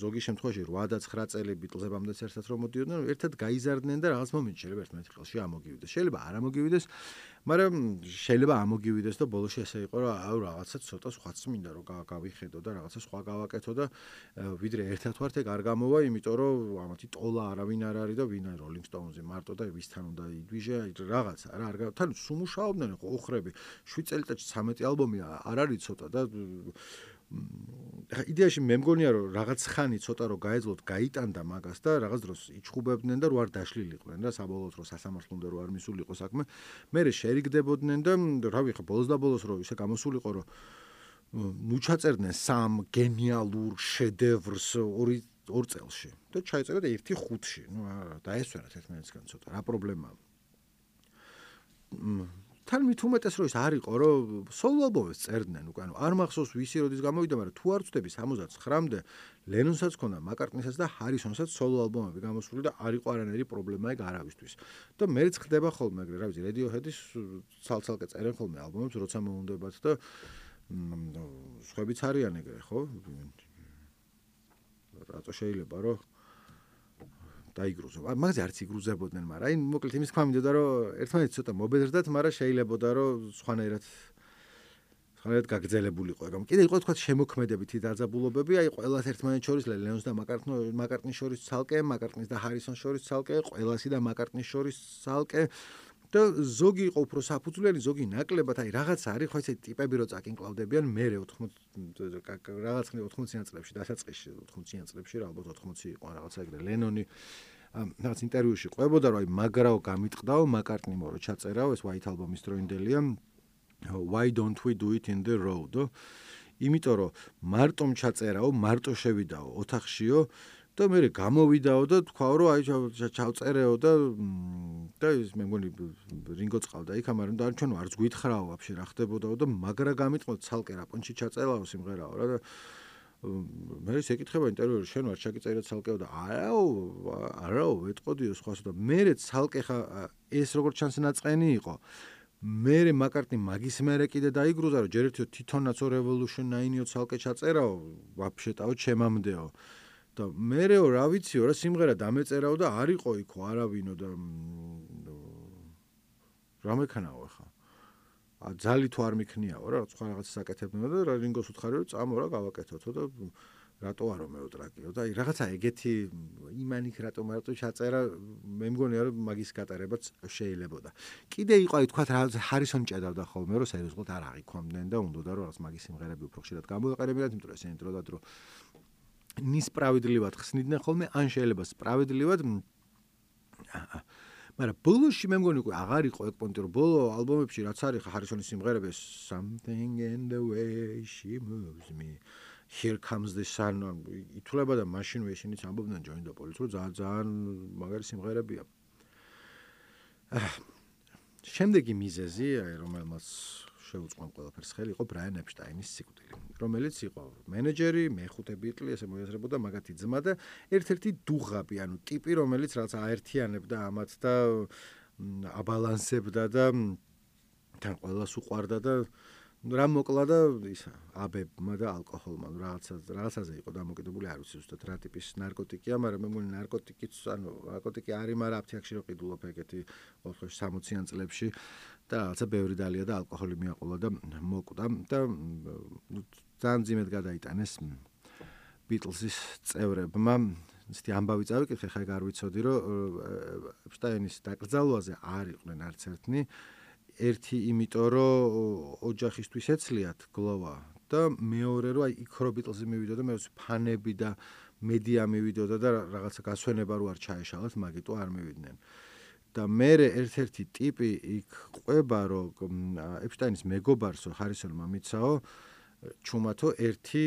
A: ზოგი შემთხვევაში რვა და ცხრა წელი ბიტლზებამდეც ერთად რომ მოდიოდნენ, ერთად გაიზარდნენ და რაღაც მომენტში შეიძლება ერთმანეთის ხელში ამოგივიდეს. შეიძლება არ ამოგივიდეს, მაგრამ შეიძლება ამოგივიდეს და ბოლოში ესე იყო რომ აუ რაღაცა ცოტა სხვაც მინდა რომ გავიხედო და რაღაცა სხვა გავაკეთო და ვიდრე ერთად ვართ ეგ არ გამოვა, იმიტომ რომ ამათი ტოლა არავინ არ არის და ვინ არის როლინგ სტოუნზი მარტო და ვისთან უნდა იდვიჟე რაღაცა რა არ თან სუმუშაობდნენ ხო ოხრები შვიდ წელიწადში ცამეტი ალბომი არ არის ცოტა და იდეაში მე მგონია რომ რაღაც ხანი ცოტა რომ გაეძლოთ გაიტანდა მაგას და რაღაც დროს იჩხუბებდნენ და რო არ დაშლილიყვნენ და საბოლოოდ რო სასამართლო უნდა რო არ მისულიყო საქმე მე შერიგდებოდნენ და რავი ხა ბოლოს და ბოლოს რო ისე გამოსულიყო რომ ნუ ჩაწერდნენ სამ გენიალურ შედევრს ორი ორ წელში და ჩაიწერა და ერთი ხუთში. ნუ დაესვენათ ერთმანეთისგან ცოტა. რა პრობლემაა? თან მით უმეტეს რომ ის არ იყო რომ სოლო ალბომებს წერდნენ უკვე. ანუ არ მახსოვს ვისი როდის გამოვიდა, მაგრამ თუ არ ვწდები სამოცდათხრამდე ლენონსაც ქონდა, მაკარტნისაც და ჰარისონსაც სოლო ალბომები გამოსული და არ იყო არანაირი პრობლემა ეგ არავისთვის. და მეც ხდება ხოლმე ეგრე, რა ვიცი, Radiohead-ის ცალ-ცალკე წერენ ხოლმე ალბომებს, როცა მოუნდებათ და სხვაებიც არიან ეგრე, ხო? რატო შეიძლება რომ დაიგრუზო. მაგაზე არც იგრუზებოდნენ, მაგრამ აი მოკლედ იმის თქვა მინდოდა რომ ერთმანეთს ცოტა მობედრდათ, მაგრამ შეიძლებოდა რომ სხვანაირად სხვანაირად გაგრძელებულიყო ეგ. კიდე იყო თქვა შემოქმედებითი დაძაბულობები, აი ყველას ერთმანეთს შორის ლენონს და მაკარტნის შორის ცალკე, მაკარტნის და ჰარისონს შორის ცალკე, ყველასი და მაკარტნის შორის ცალკე. და ზოგი იყო უფრო საფუძვლიანი, ზოგი ნაკლებად, აი რაღაც არის, ხო ესე ტიპები რო წაკინკლავდებიან, მე ოთხმოცი რაღაც ხნი ოთხმოციან წლებში, დასაწყისში ოთხმოციან წლებში, რა ალბათ ოთხმოცი იყო რაღაცა ეგრე. ლენონი რაღაც ინტერვიუში ყვებოდა, რომ აი მაგრაო გამიტყდაო, მაკარტნი მორო ჩაწერაო, ეს White Album-ის დროინდელია. Why don't we do it in the road? იმიტომ რომ მარტომ ჩაწერაო, მარტო შევიდაო ოთახშიო. და მე გამოვიდაო და თქვაო რომ აი ჩავწერეო და და ის მე მგონი რინგო წყავდა იქ, მაგრამ და ჩვენ არც გვითხრაო ვაფშე რა ხდებოდაო და მაგრა გამიტყო ცალკე რა პონჩი ჩაწერაო სიმღერაო რა და მე ის ეკითხება ინტერვიუში შენ ვარ ჩაგიწერეთ ცალკეო და არაო არაო ეტყოდიო სხვას და მე ცალკე ხა ეს როგორც ჩანს ნაწყენი იყო მე მაკარტნი მაგის მერე კიდე დაიგრუზა რომ ჯერ ერთი თვითონაც Revolution nine-ო ცალკე ჩაწერაო ვაფშეტაო ჩემამდეო და მერეო რა ვიციო რა სიმღერა დამეწერაო და არ იყო იქო არავინო და რა მექნაო ხა ძალი თუ არ მიქნიაო რა სხვა რაღაცას აკეთებდნენ და რინგოს უთხარი რომ წამო რა გავაკეთოთო და რატო არო მეუტრაკიო და აი რაღაცა ეგეთი იმანიქ რატო მარტო ჩაწერა მე მგონია რომ მაგის გატარებაც შეიძლებოდა კიდე იყო აი თქვა ჰარისონი ჭედავდა ხოლმე რომ სერიოზულად არ აღიქვამდნენ და უნდოდა რომ რაღაც მაგის სიმღერები უფრო ხშირად გამოეყენებინათ იმიტომ რომ ესენი დრო და დრო ნისპრავედливად ხსნიდნენ ხოლმე ან შეიძლება სპრავედливად მაგრამ ბოლოში მე მგონი უკვე აღარ იყო ეგ პონტი რომ ბოლო ალბომებში რაც არის ჰარისონის სიმღერები something in the way she moves me here comes the sun ითვლება და მაშინვე ისინიც ამბობდნენ join the police რომ ძალიან ძალიან მაგარი სიმღერებია შემდეგი მიზეზი, აი რომელმაც შეუწყო ყველაფერს ხელი, იყო ბრაიან ეპშტაინის სიკვდილი, რომელიც იყო მენეჯერი, მეხუთე ბიტლი, ესე მოიაზრებოდა მაგათი ძმა და ერთ-ერთი დუღაბი, ანუ ტიპი, რომელიც რაღაც აერთიანებდა ამათ და აბალანსებდა და თან ყველას უყვარდა და რა მოკლა და ისა აბებმა და ალკოჰოლმა რაღაცა რაღაცაზე იყო დამოკიდებული, არ ვიცი ზუსტად რა ტიპის ნარკოტიკია, მაგრამ მე მგონი ნარკოტიკიც, ანუ ნარკოტიკი არის, მაგრამ აფთიაქში რო ყიდულობ ეგეთი ოთხ სამოციან წლებში და რაღაცა ბევრი დალია და ალკოჰოლი მიაყოლა და მოკვდა და ძალიან ძიმედ გადაიტანეს ბიტლზის წევრებმა. ისეთი ამბავი წავიკითხე, ხა ეგ არ ვიცოდი, რომ ეპშტაინის დაკრძალვაზე არ იყვნენ არც ერთნი. ერთი იმიტომ რომ ოჯახისთვის ეცლიათ გლოვა და მეორე რომ აი იქ რო ბიტლზი მივიდოდა, მე ვიცი ფანები და მედია მივიდოდა და რაღაცა გასვენება რო არ ჩაეშალათ, მაგიტო არ მივიდნენ. და მე ერთ-ერთი ტიპი იქ ყვება, რომ ეპშტაინის მეგობარსო ჰარისონმა მიცაო ჩუმათო ერთი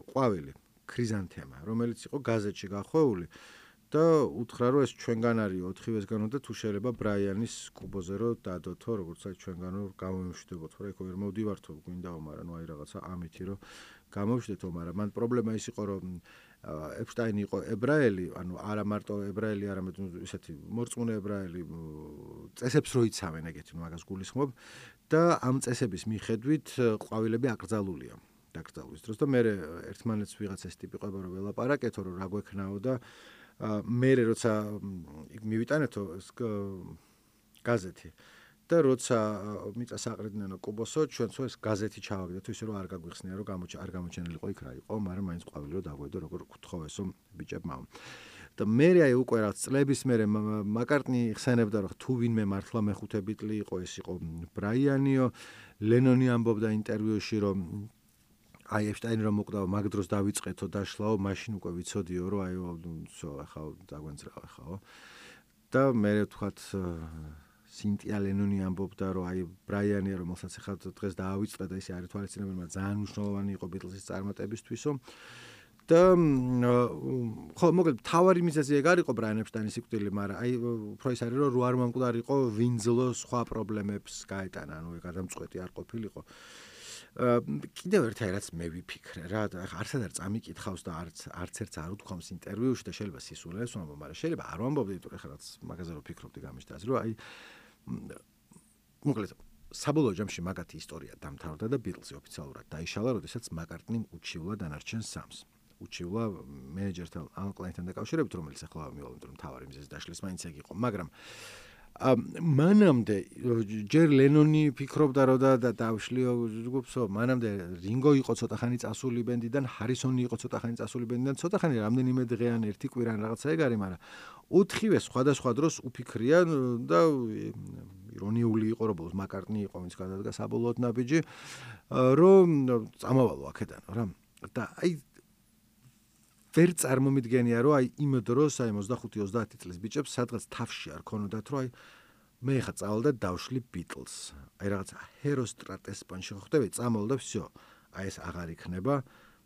A: ყვავილი, ქრიზანთემა, რომელიც იყო გაზეთში გახვეული. და უთხრა რომ ეს ჩვენგან არის ოთხივესგანო და თუ შეიძლება ბრაიანის კუბოზე რო დადოთო, როგორც აი ჩვენგანო გამომშვიდობოთ, რა იქ ვერ მოვდივართო, გვინდაო, მაგრამ ნუ აი რაღაცა ამითი რომ გამოვშვიდეთო, მაგრამ მან პრობლემა ის იყო რომ ეპშტაინი იყო ებრაელი, ანუ არა მარტო ებრაელი, არამედ ისეთი მორწმუნე ებრაელი წესებს რო იცავენ, ეგეთი მაგას გულისხმობ და ამ წესების მიხედვით ყვავილები აკრძალულია. დაკრძალვის დროს და მე ერთმანეთს ვიღაც ეს ტიპი ყვება რომ ველაპარაკეთო, რომ რა გვექნაო და მე როცა მივიტანეთო გაზეთი და როცა მიწას აყრიდნენ კუბოსო, ჩვენცო ეს გაზეთი ჩავაგდეთ, ისე რომ არ გაგვიხსნია, რომ არ გამოჩენილიყო იქ რა იყო, მაგრამ მაინც ყვავილი რომ დაგვედო, როგორ გთხოვესო ბიჭებმა. და მე აი უკვე რაც წლების მერე მაკარტნი ხსენებდა, რომ თუ ვინმე მართლა მეხუთე ბიტლი იყო, ეს იყო ბრაიანიო. ლენონი ამბობდა ინტერვიუში, რომ აი ეპშტაინი რომ მოკვდა, მაგ დროს დავიწყეთო დაშლაო, მაშინ უკვე ვიცოდიო, რომ აი всё, ახლა დაგვენწრავა ხაო. და მე ვთქვათ სინტია ლენონი ამბობდა, რომ აი ბრაიანია, რომელსაც ახლა დღეს დაავიწყდა და ისე არის თვალისწინებელი, მაგრამ ძალიან მნიშვნელოვანი იყო ბიტლზის წარმატებისთვისო. და ხო, მოკლედ თავარი მიზეზი ეგ არ იყო ბრაიან ეპშტაინის სიკვდილი, მაგრამ აი უფრო ის არის, რომ რო არ მომკვდარიყო, ვინძლო სხვა პრობლემებს გაეტანა, ანუ ეგ გადამწყვეტი არ ყოფილიყო. კიდევ ერთი რაც მე ვიფიქრე რა, არცად არ წამიკითხავს და არც არც ერთს არ უთქვამს ინტერვიუში და შეიძლება სისულელს ვამბობ, მაგრამ შეიძლება არ ვამბობდი, იმიტომ რომ ხა რაც მაგაზე რო ფიქრობდი გამიშტას, რომ აი მოკლედ საბოლოო ჯამში მაგათი ისტორია დამთავრდა და ბიტლზი ოფიციალურად დაიშალა, როდესაც მაკარტნიმ უჩივლა დანარჩენ სამს. უჩივლა მენეჯერთან ან კლიენტთან დაკავშირებით, რომელიც ახლა მივალ, იმიტომ რომ თავარი მიზეზი დაშლის მაინც ეგ იყო, მაგრამ მანამდე ჯერ ლენონი ფიქრობდა რომ და დავშლიო ჯგუფსო, მანამდე რინგო იყო ცოტახანი წასული ბენდიდან, ჰარისონი იყო ცოტახანი წასული ბენდიდან, ცოტახანი რამდენიმე დღეან ერთი კვირა რაღაცა ეგ არის, მაგრამ ოთხივე სხვადასხვა დროს უფიქრიან და ირონიული იყო, რომ ბოლოს მაკარტნი იყო, ვინც გადადგა საბოლოოდ ნაბიჯი, რომ წამავალო აქედან რა. და აი ვერ წარმომიდგენია, რომ აი იმ დროს, აი ოცდახუთი ოცდაათი წლის ბიჭებს სადღაც თავში არ ქონოდათ, რომ აი მე ხა წავალ და დავშლი ბიტლს. აი რაღაცა ჰეროსტრატეს პანში ხვდები, წამოვალ და всё. აი ეს აღარ იქნება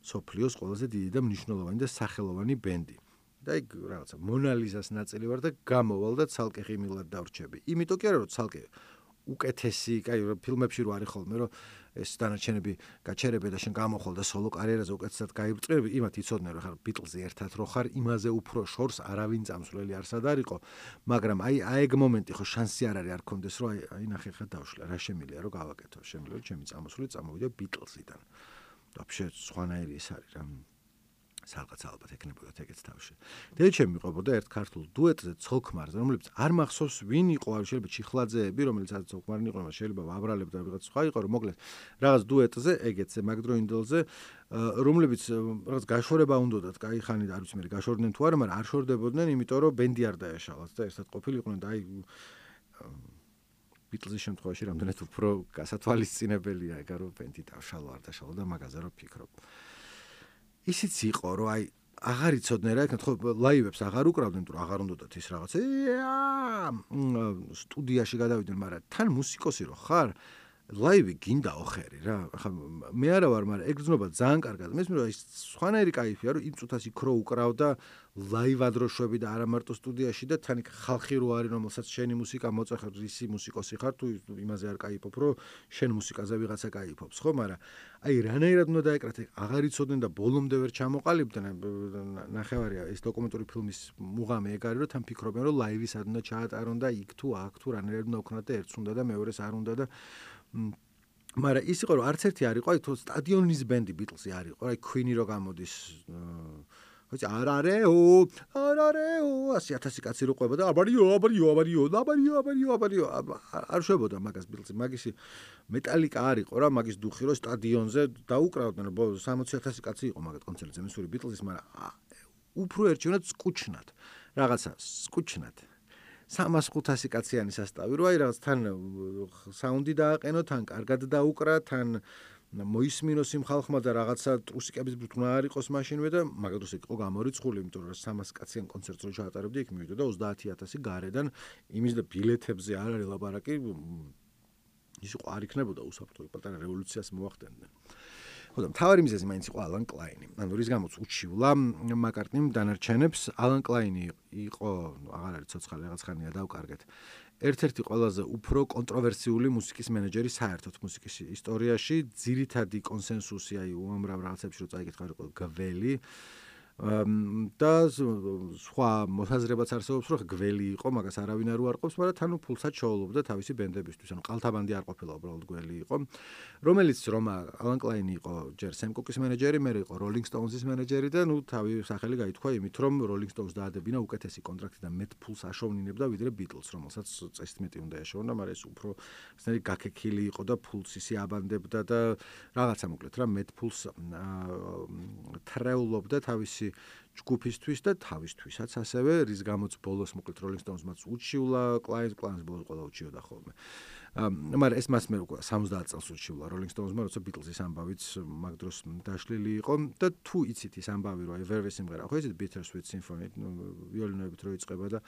A: სოფლიოს ყველაზე დიდი და მნიშვნელოვანი და სახელოვანი ბენდი. და აი რაღაცა მონალიზას ნაწილი ვარ და გამოვალ და ცალკე ღიმილად დავრჩები. იმიტომ კი არა, რომ ცალკე უკეთესი, კაი, ფილმებში რო არის ხოლმე, რომ ეს დანარჩენები გაჩერებენ და შენ გამოხვალ და სოლო კარიერაზე უკეთესად გაიბრწყები, იმათ იცოდნენ, რომ ხარ ბიტლზი ერთად რო ხარ, იმაზე უფრო შორს არავინ წამსვლელი არსად არისო, მაგრამ აი აი ეგ მომენტი ხო შანსი არ არის არ კონდეს, რომ აი აი ნახე ხა დავშლა, რა შემილია რომ გავაკეთო, შემიძლია რომ ჩემი წამოსული წამოვიდა ბიტლზიდან. ვაფშე სხვანაირი ეს არის რა. სადღაც ალბათ ეკნებოდათ ეგეც თავში. და ჩემი მიყვებოდა ერთ ქართულ დუეტზე ცოლქმარზე, რომელიც არ მახსოვს ვინ იყო, არ შეიძლება ჩიხლაძეები, რომელიც არ ცოლქმარი იყო, მაგრამ შეიძლება ვაბრალებ და ვიღაც სხვა იყო, რომ მოკლედ რაღაც დუეტზე, ეგეცზე, მაგდროინდელზე, რომლებიც რაღაც გაშორება უნდათ, კაი ხანი და არ ვიცი მე გაშორდნენ თუ არა, მაგრამ არ შორდებოდნენ, იმიტომ რომ ბენდი არ დაეშალათ და ერთად ყოფილიყვნენ და აი ბიტლზის შემთხვევაში რამდენად უფრო გასათვალისწინებელია ეგ რომ ბენდი დავშალო არ დაშალო და მაგაზე რომ ფიქრობ. ისიც იყო, რომ აი აღარ იცოდნენ რა, ხო ლაივებს აღარ უკრავდნენ, თუ აღარ უნდათ ის რაღაცა სტუდიაში გადავიდნენ, მაგრამ თან მუსიკოსი რო ხარ, ლაივი გინდაო ხერი რა. ახლა მე არა ვარ, მაგრამ ეგრძნობა ძალიან კარგად. მე მესმის, რომ სხვანაირი кайფია, რომ იმ წუთას იქ რო უკრავდა ლაივად რო შვები და არა მარტო სტუდიაში და თან იქ ხალხი რო არის, რომელსაც შენი მუსიკა მოწეხარ, ისი მუსიკოსი ხარ, თუ იმაზე არ кайფობ, რომ შენ მუსიკაზე ვიღაცა кайფობს, ხო? მაგრამ აი რანაირად უნდა დაეკრათ, აღარ იცოდნენ და ბოლომდე ვერ ჩამოყალიბდნენ. ნახევარია ეს დოკუმენტური ფილმის მუღამი ეგ არის, რომ თან ფიქრობენ, რომ ლაივი სად უნდა ჩაატარონ და იქ თუ აქ თუ რანაირად უნდა უქნათ და ერთს უნდა და მეორეს არ უნდა და მაგრამ ის იყო რომ არც ერთი არ იყო, აი თუ სტადიონის ბენდი ბიტლსი არ იყო, აი Queen-ი რო გამოდის, ხოჭი არარეო, არარეო, ასი ათასი კაცი რო ყვება და აბარიო, აბარიო, აბარიო, აბარიო, აბარიო, აბარიო, არ შვებოდა მაგას ბიტლსი, მაგისი მეტალიკა არ იყო რა, მაგის დუხი რო სტადიონზე დაუკრავდნენ, სამოცი ათასი კაცი იყო მაგათ კონცერტზე, მისური ბიტლსის, მაგრამ უფრო ერჩევნათ სკუჩნად, რაღაცა სკუჩნად. სამას ხუთასი კაციანი სასტავი რო აი რაღაც თან საუნდი დააყენო, თან კარგად დაუკრა, თან მოისმინოს იმ ხალხმა და რაღაცა ტრუსიკების ბრთნა არ იყოს მაშინვე და მაგ დროს იყო გამორიცხული, იმიტომ რომ სამას კაციან კონცერტს რო ჩაატარებდი, იქ მივიდოდა ოცდაათი ათასი გარედან, იმის და ბილეთებზე არ არის ლაპარაკი, ის იყო არ იქნებოდა უსაფრთხო, პატარა რევოლუციას მოახდენდნენ. ხო და მთავარი მიზეზი მაინც იყო ალან კლაინი. ანუ რის გამოც უჩივლა მაკარტნიმ დანარჩენებს, ალან კლაინი იყო, აღარ არის ცოცხალი, რაღაც ხანია დავკარგეთ. ერთ-ერთი ყველაზე უფრო კონტროვერსიული მუსიკის მენეჯერი საერთოდ მუსიკის ისტორიაში, ძირითადი კონსენსუსი აი უამრავ რაღაცებში რო წაიკითხა იყო გველი და სხვა მოსაზრებაც არსებობს, რომ გველი იყო, მაგას არავინ არ უარყოფს, მაგრამ თან უფულსაც შოულობდა თავისი ბენდებისთვის, ანუ ყალთაბანდი არ ყოფილა, უბრალოდ გველი იყო, რომელიც რომ ალან კლაინი იყო ჯერ სემ კუკის მენეჯერი, მე იყო როლინგ სტოუნზის მენეჯერი და ნუ თავი სახელი გაითქვა იმით, რომ როლინგ სტოუნზს დაადებინა უკეთესი კონტრაქტი და მეტ ფულს აშოვნინებდა ვიდრე ბიტლს, რომელსაც წესით მეტი უნდა ეშოვნა, მაგრამ ეს უფრო ისეთი გაქექილი იყო და ფულს ისი აბანდებდა და რაღაცა მოკლედ რა მეტ ფულს თრეულობდა თავისი ჯგუფისთვის და თავისთვისაც ასევე, რის გამოც ბოლოს მოკლედ როლინგ სტოუნზმაც უჩივლა, კლაინს კლაინს ბოლოს ყველა უჩიოდა ხოლმე. მაგრამ ეს მას მე უკვე სამოცდაათ წელს უჩივლა როლინგ სტოუნზმა, როცა ბიტლსის ამბავიც მაგ დროს დაშლილი იყო და თუ იცით ის ამბავი, რომ Everest სიმღერა, ხო იცით Bittersweet Symphony, ვიოლინოებით რო იწყება და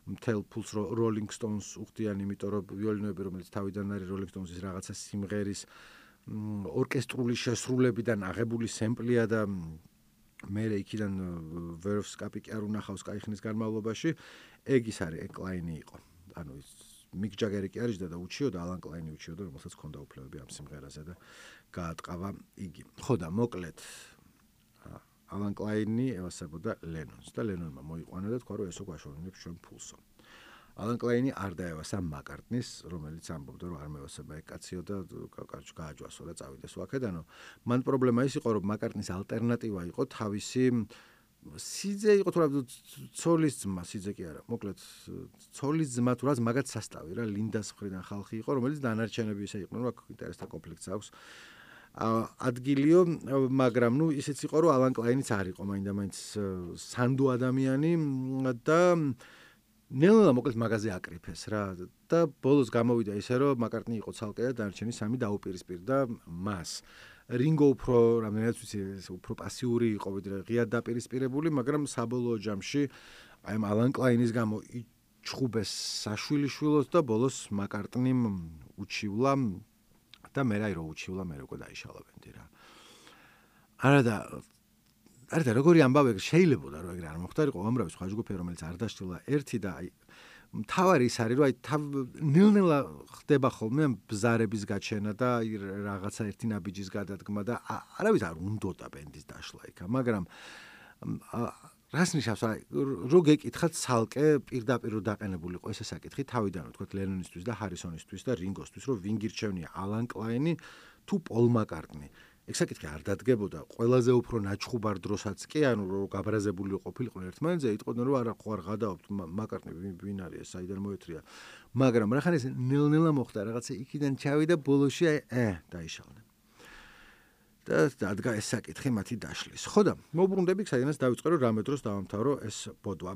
A: მთელ ფულს როლინგ სტოუნზს უხდიან, იმიტომ რომ ვიოლინოები, რომელიც თავიდან არის როლინგ სტოუნზის რაღაცა სიმღერის ორკესტრული შესრულებიდან აღებული სემპლია და მე იქიდან ვერვს კაპიკი არ უნახავს კაი ხნის განმავლობაში, ეგ ის არის, ეგ კლაინი იყო. ანუ ის მიკ ჯაგერი კი არის და უჩიოდა, ალან კლაინი უჩიოდა, რომელსაც ჰქონდა უფლებები ამ სიმღერაზე და გაატყავა იგი. ხო და მოკლედ ალან კლაინი ევასებოდა ლენონს და ლენონმა მოიყვანა და თქვა, რომ ესო გვაშოვნებს ჩვენ ფულსო. ალან კლაინი არ დაევასა მაკარტნის, რომელიც ამბობდა, რომ არ მევასება ეგ კაციო და კარჩ გააჯვასო და წავიდეს ვაკედანო. მან პრობლემა ის იყო, რომ მაკარტნის ალტერნატივა იყო თავისი სიძე იყო თუ რა ცოლის ძმა, სიძე კი არა, მოკლედ ცოლის ძმა თუ რაც მაგათ სასტავი რა, ლინდას მხრიდან ხალხი იყო, რომელიც დანარჩენები ისე იყვნენ, რომ აქ ინტერესთა კონფლიქტს აქვს. ადგილიო, მაგრამ ნუ ისეც იყო, რომ ალან კლაინიც არ იყო მაინდა-მაინც სანდო ადამიანი და ნელა მოკლედ მაგაზე აკრიფეს რა და ბოლოს გამოვიდა ისე, რომ მაკარტნი იყო ცალკე და დანარჩენი სამი დაუპირისპირდა მას. რინგო უფრო რამდენად ვიცი, უფრო პასიური იყო ვიდრე ღიად დაპირისპირებული, მაგრამ საბოლოო ჯამში აი ამ ალან კლაინის გამო იჩხუბეს საშვილიშვილოს და ბოლოს მაკარტნიმ უჩივლა და მე რაი რო უჩივლა, მე როგორ დაიშალა-ბენდი რა. არა და არა და როგორი ამბავი შეიძლება რომ ეგრე არ მოხდარიყო, უამრავი სხვა ჯგუფი, რომელიც არ დაშლილა ერთი და აი მთავარი ის არის, რომ აი ნელ-ნელა ხდება ხოლმე ბზარების გაჩენა და აი რაღაცა ერთი ნაბიჯის გადადგმა და არავის არ უნდოდა ბენდის დაშლა იქა, მაგრამ რას ნიშნავს, აი რო გეკითხათ ცალკე პირდაპირ რო დაყენებული იყო ესე საკითხი თავიდან, თქვათ ლენონისთვის და ჰარისონისთვის და რინგოსთვის, რომ ვინ გირჩევნია ალან კლაინი თუ პოლ მაკარტნი. ეგ საკითხი არ დადგებოდა, ყველაზე უფრო ნაჩხუბარ დროსაც კი, ანუ რომ გაბრაზებული ყოფილიყო ერთმანეთზე, იტყოდნენ რომ არა ხო არ გადააობთ მაკარტნი ვინ არის ეს, საიდან მოეთრია. მაგრამ რახან ეს ნელ-ნელა მოხდა, რაღაცა იქიდან ჩავიდა ბოლოში აი ე დაიშალდნენ. და დადგა ეს საკითხი მათი დაშლის. ხო და მოუბრუნდები საიდანაც დავიწყე რომ რამე დროს დავამთავრო ეს ბოდვა.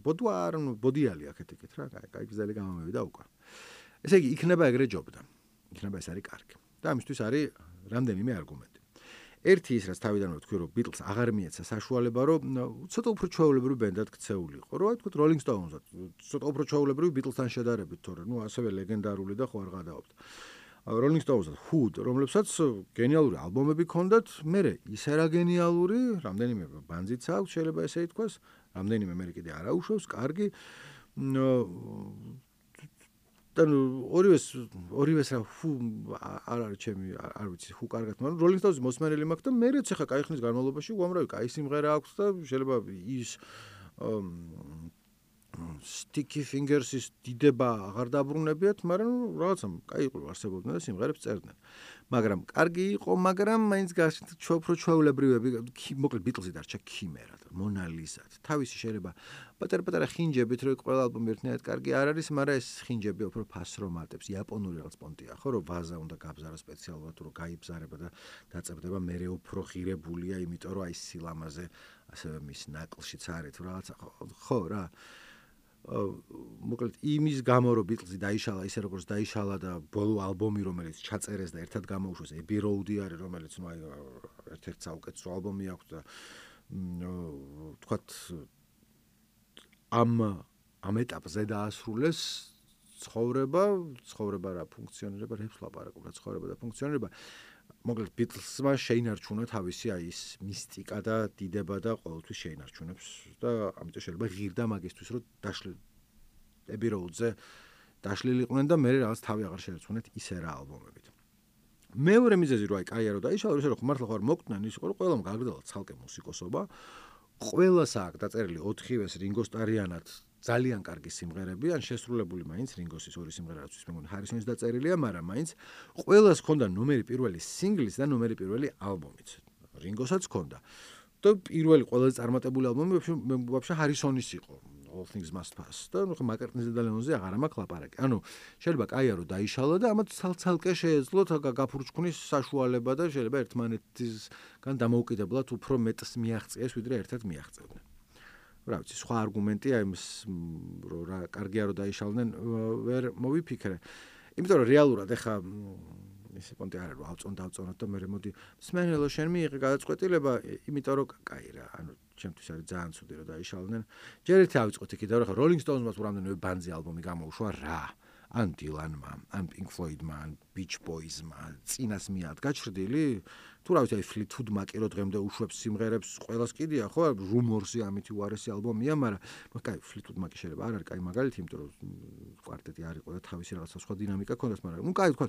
A: ბოდვა არ ბოდიალი აქეთ იქით რა, კაი გზელი გამომევიდა უკვე. ესე იგი იქნება ეგრე ჯობდა. იქნება ეს არის კარგი. და ამისთვის არის რამდენიმე არგუმენტი. ერთი ის რაც თავიდანვე ვთქვი, რომ ბიტლს აღარ მიეცა საშუალება, რომ ცოტა უფრო ჩვეულებრივი ბენდად ქცეულიყო. რო აი თქვით როლინგ სტოუნზად, ცოტა უფრო ჩვეულებრივი ბიტლსთან შედარებით, თორე ნუ ასევე ლეგენდარული და ხო არ გადაობთ. Rolling Stones და Who, რომლებსაც გენიალური ალბომები ჰქონდათ, მე ისე რა გენიალური, რამდენიმე ბანძიც აქვს, შეიძლება ესე ითქვას, რამდენიმე მე კიდე არ აუშვებს, კარგი. და ორივეს ორივეს რა Who არ არის ჩემი, არ ვიცი, Who კარგად, მაგრამ Rolling Stones მოსმენელი მაქვს და მერეც ახლა კაი ხნის განმავლობაში უამრავი კაი სიმღერა აქვს და შეიძლება ის Sticky Fingers-ის დიდება აღარ დაბრუნებიათ, მაგრამ რაღაცა კაი იყო არსებობდნენ და სიმღერებს წერდნენ. მაგრამ კარგი იყო, მაგრამ მაინც ჩვეულებრივ ჩვეულებრივები, მოკლედ Beatles-ი დარჩა ქიმერად, Mona Lisa-ად. თავისი შეიძლება პატარ-პატარა ხინჯებით, რო ყველა ალბომი ერთნაირად კარგი არ არის, მაგრამ ეს ხინჯები უფრო ფასს რომ ატებს, იაპონური რაღაც პონტია, ხო, რომ ვაზა უნდა გაბზარა სპეციალურად, რომ გაიბზარება და დაწებდება, მერე უფრო ღირებულია, იმიტომ რომ აი სილამაზე ასევე მის ნაკლშიც არის თუ რაღაცა, ხო რა. მოკლედ იმის გამო რომ Beatles-ი დაიშალა ისე როგორც დაიშალა და ბოლო ალბომი რომელიც ჩაწერეს და ერთად გამოუშვეს Abbey Road-ი არის რომელიც ნუ აი ერთ-ერთი საუკეთესო ალბომი აქვს და თქვათ ამ ამ ეტაპზე დაასრულეს ცხოვრება ცხოვრება რა ფუნქციონირება რებს ლაპარაკობ რა ცხოვრება და ფუნქციონირება მოკლედ Beatles-მა შეინარჩუნა თავისი აი ის მისტიკა და დიდება და ყოველთვის შეინარჩუნებს და ამიტომ შეიძლება ღირდა მაგისთვის რომ დაშლილ Abbey Road-ზე დაშლილიყვნენ და მე რაღაც თავი აღარ შეერწმუნეთ ისე რა ალბომებით. მეორე მიზეზი რო აი კაია რო დაიშალა ისე რომ მართლა ხარ მოკდნენ ის იყო რომ ყველამ გააგრძელა ცალკე მუსიკოსობა. ყველას აქვს დაწერილი ოთხივეს Ringo Starr-იანად ძალიან კარგი სიმღერები, ან შესრულებული მაინც Ringo-ის ორი სიმღერა რაც მე მგონი Harrison-ის დაწერილია, მაგრამ მაინც ყველას ჰქონდა ნომერი პირველი სინგლის და ნომერი პირველი ალბომიც. Ringo-საც ჰქონდა. და პირველი ყველაზე წარმატებული ალბომი ვაფშე Harrison-ის იყო. All Things Must Pass. და ნუ McCartney-ზე და Lennon-ზე აღარ მაქვს ლაპარაკი. ანუ შეიძლება კაია რომ დაიშალა და ამათ ცალ-ცალკე შეეძლოთ გაფურჩქვნის საშუალება და შეიძლება ერთმანეთისგან დამოუკიდებლად უფრო მეტს მიაღწიეს, ვიდრე ერთად მიაღწევდნენ. რა ვიცი, სხვა არგუმენტია იმის რომ რა კარგია რომ დაიშალდნენ ვერ მოვიფიქრე. იმიტომ რომ რეალურად ეხა ისე პონტი არ არის რომ ავწონ დავწონოთ და მე მოდი სმენელო შენ მიიღე გადაწყვეტილება, იმიტომ რომ კაი რა, ანუ ჩემთვის არის ძალიან ცუდი რომ დაიშალდნენ. ჯერ ერთი ავიწყოთ იქიდან რომ ხა Rolling Stones-მა თუ რამდენიმე ბანძი ალბომი გამოუშვა რა. ან Dylan-მა, ან Pink Floyd-მა, ან Beach Boys-მა, წინას მიადგა ჩრდილი. თუ რა ვიცი, Fleetwood Mac-ი რო დღემდე უშვებს სიმღერებს, ყველას კიდია, ხო? Rumors-ი ამითი უარესი ალბომია, მაგრამ კაი, Fleetwood Mac-ი შეიძლება არ არის კაი მაგალითი, იმიტომ რომ კვარტეტი არ იყო და თავისი რაღაცა სხვა დინამიკა ჰქონდათ, მაგრამ ნუ კაი თქვა,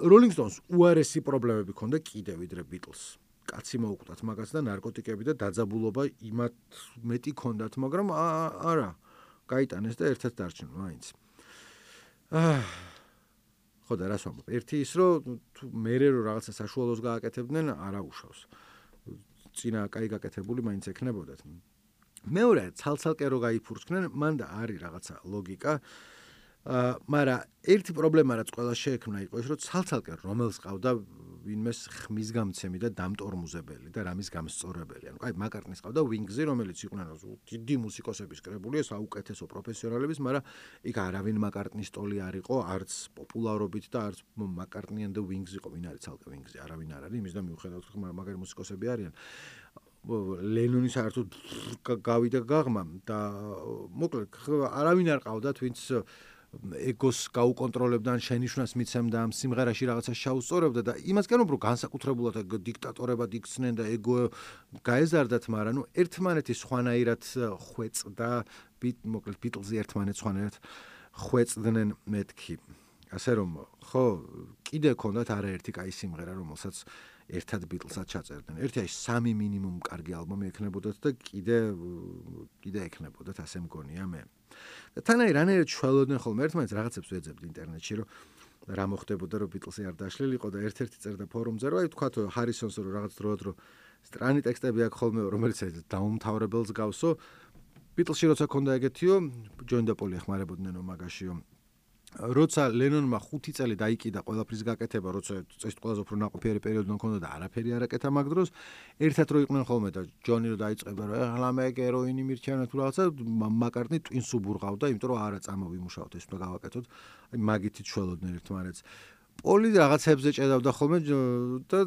A: Rolling Stones უარესი პრობლემები ჰქონდა კიდევ ვიდრე Beatles. კაცი მოუკვდათ მაგას და ნარკოტიკები და დაძაბულობა იმათ მეტი ჰქონდათ, მაგრამ არა, გაიტანეს და ერთად დარჩნენ მაინც. აა ხო და რას ვამბობ? ერთი ის რომ მერე რომ რაღაცა საშუალოს გააკეთებდნენ, არა უშავს. წინა კაი გაკეთებული მაინც ექნებოდათ. მეორე ცალ-ცალკე რო გაიფურჩნენ, მან და არის რაღაცა ლოგიკა. აა მაგრამ ერთი პრობლემა რაც ყველა შეექმნა იყო ის რომ ცალ-ცალკე რომელს ყავდა ვინმეს ხმის გამცემი და დამტორმუზებელი და რამის გამსწორებელი. ანუ კაი McCartney-ს ყავდა Wings-ი, რომელიც იყვნენ დიდი მუსიკოსების კრებული, საუკეთესო პროფესიონალების, მაგრამ იქ არავინ McCartney-ის ტოლი არ იყო, არც პოპულარობით და არც McCartney and the Wings იყო, ვინ არის ცალკე Wings-ი, არავინ არ არის, იმის და მიუხედავად მაგარი მუსიკოსები არიან. Lennon-ი საერთოდ გავიდა გაღმა და მოკლედ არავინ არ ყავდათ, ვინც ეგოს გაუკონტროლებდა, შენიშვნას მიცემდა ამ სიმღერაში რაღაცა შეაუსწორებდა და იმას კი არ ვუბრუნებ, განსაკუთრებულად დიქტატორებად იქცნენ და ეგო გაეზარდათ, მაგრამ ნუ ერთმანეთის სხვანაირად ხვეწდა, მოკლედ Beatles-ი ერთმანეთს სხვანაირად ხვეწდნენ მეთქი. ასე რომ, ხო, კიდე ჰქონდათ არაერთი კაი სიმღერა, რომელსაც ერთად Beatles-ად ჩაწერდნენ. ერთი აი სამი მინიმუმ კარგი ალბომი ექნებოდათ და კიდე კიდე ექნებოდათ, ასე მგონია მე. და თანაი რანაირად შველოდნენ ხოლმე ერთმანეთს რაღაცებს ვეძებთ ინტერნეტში რომ რა მოხდებოდა რომ Beatles-ი არ დაშლილიყო და ერთ-ერთი წერდა ფორუმზე რომ აი თქვათ Harrison-ს რომ რაღაც დროად რომ სტრანი ტექსტები აქვს ხოლმე რომელიც დაუმთავრებელს გავსო Beatles-ში როცა ქონდა ეგეთიო John და Paul ეხმარებოდნენ მაგაშიო როცა Lennon-მა ხუთი წელი დაიკიდა ყველაფრის გაკეთება, როცა წესით ყველაზე უფრო ნაყოფიერი პერიოდი მქონდა და არაფერი არ აკეთა მაგ დროს, ერთად რო იყვნენ ხოლმე და ჯონი რო დაიწყება, რომ ახლა მე ჰეროინი მირჩევნა თუ რაღაცა, McCartney ტვინს უბურღავდა, იმიტომ რომ არა წამოვიმუშავოთ, ეს უნდა გავაკეთოთ. აი მაგითი შველოდნენ ერთმანეთს. პოლი რაღაცებზე ჭედავდა ხოლმე და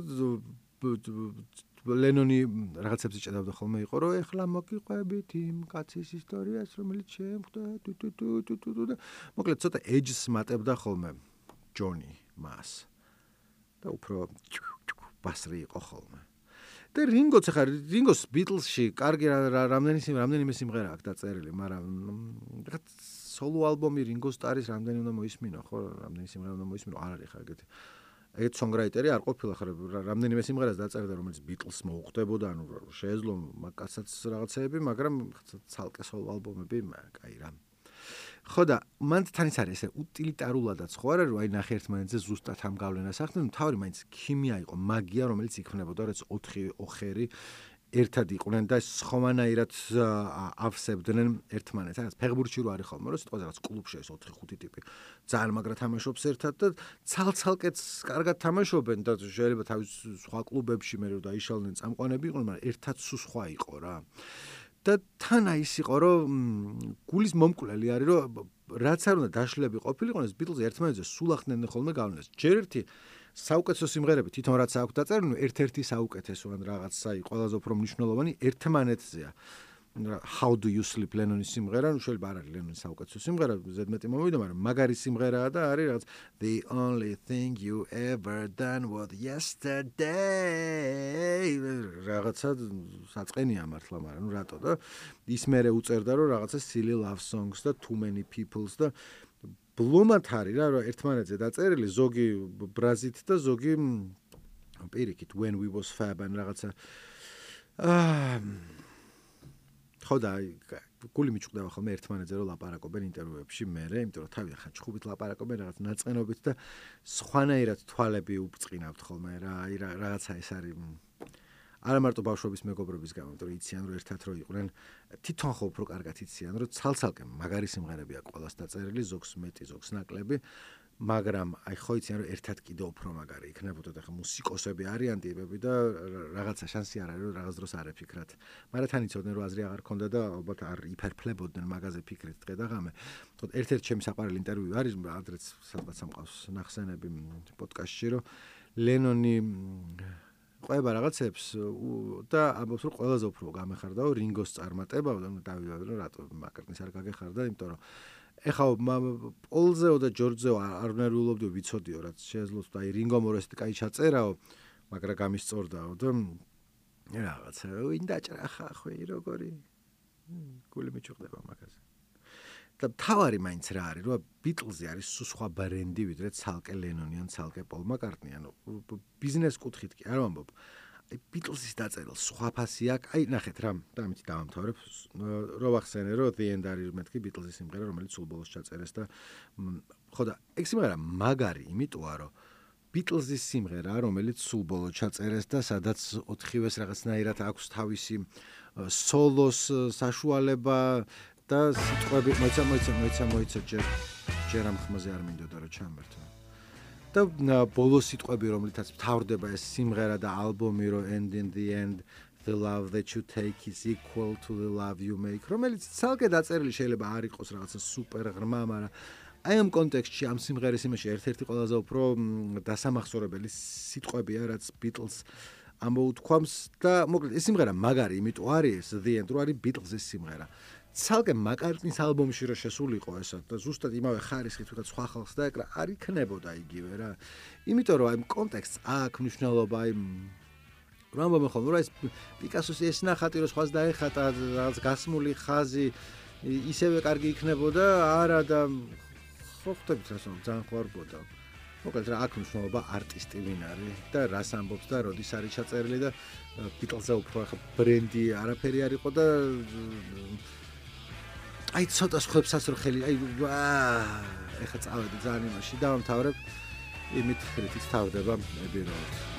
A: Lennon-ი რაღაცებზე ჭედავდა ხოლმე იყო, რომ ეხლა მოგიყვებით იმ კაცის ისტორიას, რომელიც შემხვდა, თუ თუ თუ თუ და მოკლედ ცოტა edge-ს მატებდა ხოლმე ჯონი მას და უფრო ბასრი იყო ხოლმე. და რინგოც ახლა რინგოს ბიტლსში კარგი რამდენი რამდენიმე სიმღერა აქვს დაწერილი, მაგრამ რა სოლო ალბომი რინგო სტარის რამდენი უნდა მოისმინო, ხო? რამდენი სიმღერა უნდა მოისმინო, არ არის ხა ეგეთი. ეგეთ სონგრაიტერი არ ყოფილა ხარ რამდენიმე სიმღერას დაწერდა, რომელიც ბიტლს მოუხდებოდა, ანუ შეეძლო მაგასაც რაღაცეები, მაგრამ ცალკე სოლო ალბომები, აი რა. ხო და მან თან ის არის ესე უტილიტარულადაც ხო არა რომ აი ნახე ერთმანეთზე ზუსტად ამ გავლენას ახდენენ, თავი მაინც ქიმია იყო, მაგია რომელიც იქმნებოდა, რაც ოთხი ოხერი ერთად იყვნენ და სხვანაირად ავსებდნენ ერთმანეთს. რაღაც ფეხბურთში რო არის ხოლმე, რომ სიტყვაზე რაღაც კლუბში ეს ოთხი ხუთი ტიპი ძალიან მაგრა თამაშობს ერთად და ცალ-ცალკეც კარგად თამაშობენ და შეიძლება თავის სხვა კლუბებში მე რო დაიშალნენ წამყვანები იყვნენ, მაგრამ ერთად სულ სხვა იყო რა. და თან აი ის იყო რომ გულის მომკვლელი არის რომ რაც არ უნდა დაშლები ყოფილიყო ეს ბიტლზი ერთმანეთზე სულ ახდენენ ხოლმე გავლენას. ჯერ ერთი საუკეთესო სიმღერები თვითონ რაც აქვს დაწერილი, ერთ-ერთი საუკეთესო ან რაღაცა ყველაზე უფრო მნიშვნელოვანი ერთმანეთზეა. How do you sleep ლენონის სიმღერა, ნუ შეიძლება არ არის ლენონის საუკეთესო სიმღერა, ზედმეტი მომივიდა, მაგრამ მაგარი სიმღერაა და არის რაღაც The only thing you ever done was yesterday. რაღაცა საწყენია მართლა, მაგრამ ნუ რატო და ის მერე უწერდა რომ რაღაცა silly love songs და too many people's და ბლომად არის რა, რომ ერთმანეთზე დაწერილი ზოგი ბრაზით და ზოგი პირიქით when we was fab ან რაღაცა აა ხო და გული მიჭყვდება ხოლმე ერთმანეთზე რომ ლაპარაკობენ ინტერვიუებში მერე, იმიტომ რომ თავი ხან ჩხუბით ლაპარაკობენ რაღაც ნაწყენობით და სხვანაირად თვალები უბწყინავთ ხოლმე რა, აი რაღაცა ეს არის არა მარტო ბავშვობის მეგობრობის გამო, იმიტომ რომ იციან რომ ერთად რო იყვნენ, თვითონ ხო უფრო კარგად იციან რომ ცალ-ცალკე მაგარი სიმღერები აქვს ყველას დაწერილი, ზოგს მეტი, ზოგს ნაკლები, მაგრამ აი ხო იციან რომ ერთად კიდე უფრო მაგარი იქნებოდა და ხა მუსიკოსები არიან ტიპები და რაღაცა შანსი არ არის რომ რაღაც დროს არ ეფიქრათ. მაგრამ თან იცოდნენ რომ აზრი აღარ ქონდა და ალბათ არ იფერფლებოდნენ მაგაზე ფიქრით დღე და ღამე. თქო ერთ-ერთი ჩემი საყვარელი ინტერვიუ არის, ადრეც სადღაც სამყავს ნახსენები პოდკასტში, რომ ლენონი ყვება რაღაცებს და ამბობს რომ ყველაზე უფრო გამეხარდაო რინგოს წარმატება და დავიდოდ რომ რატო მაკარტნის არ გაგეხარდა, იმიტომ რომ ეხა პოლზეო და ჯორჯზეო არ ნერვიულობდიო ვიცოდიო რაც შეეძლოთ და აი რინგო მორესტი კაი ჩაწერაო, მაგრამ გამისწორდაო და რაღაცა ვინ დაჭრა ხა ხო როგორი გული მიჭყვდება მაგაზე. და თავარი მაინც რა არის რომ ბიტლზი არის სულ სხვა ბრენდი ვიდრე ცალკე ლენონი ან ცალკე პოლ მაკარტნი, ანუ ბიზნეს კუთხით კი არ ვამბობ. აი ბიტლზის დაწერილ სხვა ფასი აქვს. აი ნახეთ რა, და ამით დავამთავრებ. რო ვახსენე რომ The End არის მეთქი ბიტლზის სიმღერა, რომელიც სულ ბოლოს ჩაწერეს და ხო და ეგ სიმღერა მაგარი იმიტოა რომ ბიტლზის სიმღერა, რომელიც სულ ბოლოს ჩაწერეს და სადაც ოთხივეს რაღაცნაირად აქვს თავისი სოლოს საშუალება და სიტყვები მოიცა მოიცა მოიცა მოიცა ჯერ ჯერ ამ ხმაზე არ მინდოდა რომ ჩამერთო. და ბოლოს სიტყვები რომლითაც მთავრდება ეს სიმღერა და ალბომი რომ and in the end the love that you take is equal to the love you make, რომელიც ცალკე დაწერილი შეიძლება არ იყოს რაღაცა სუპერ ღრმა, მაგრამ აი ამ კონტექსტში ამ სიმღერის იმაში ერთ-ერთი ყველაზე უფრო დასამახსოვრებელი სიტყვებია რაც ბიტლს ამოუთქვამს და მოკლედ ეს სიმღერა მაგარი იმიტომ არის The End რო არის ბიტლზის სიმღერა. ცალკე მაკარტნის ალბომში რო შესულიყო ესა და ზუსტად იმავე ხარისხით ვიღაც სხვა ხალხს დაეკრა, არ იქნებოდა იგივე რა. იმიტომ რომ აი კონტექსტს აქვს მნიშვნელობა, აი რომ ამბობენ ხოლმე რომ ეს პიკასოს ეს ნახატი რო სხვას დაეხატა, რაღაც გასმული ხაზი ისევე კარგი იქნებოდა, არა და ხო ხვდებით რასო ძალიან ხوارბოდა. მოკლედ რა აქვს მნიშვნელობა არტისტი ვინ არის და რას ამბობს და როდის არის ჩაწერილი და ბიტლზე უფრო ახლა ბრენდი არაფერი არ იყო და აი ცოტა ხებსაც რო ხელი აი ეხა წავედი ძალიან იმაში დავამთავრებ იმით რითიც თავდება Abbey Road.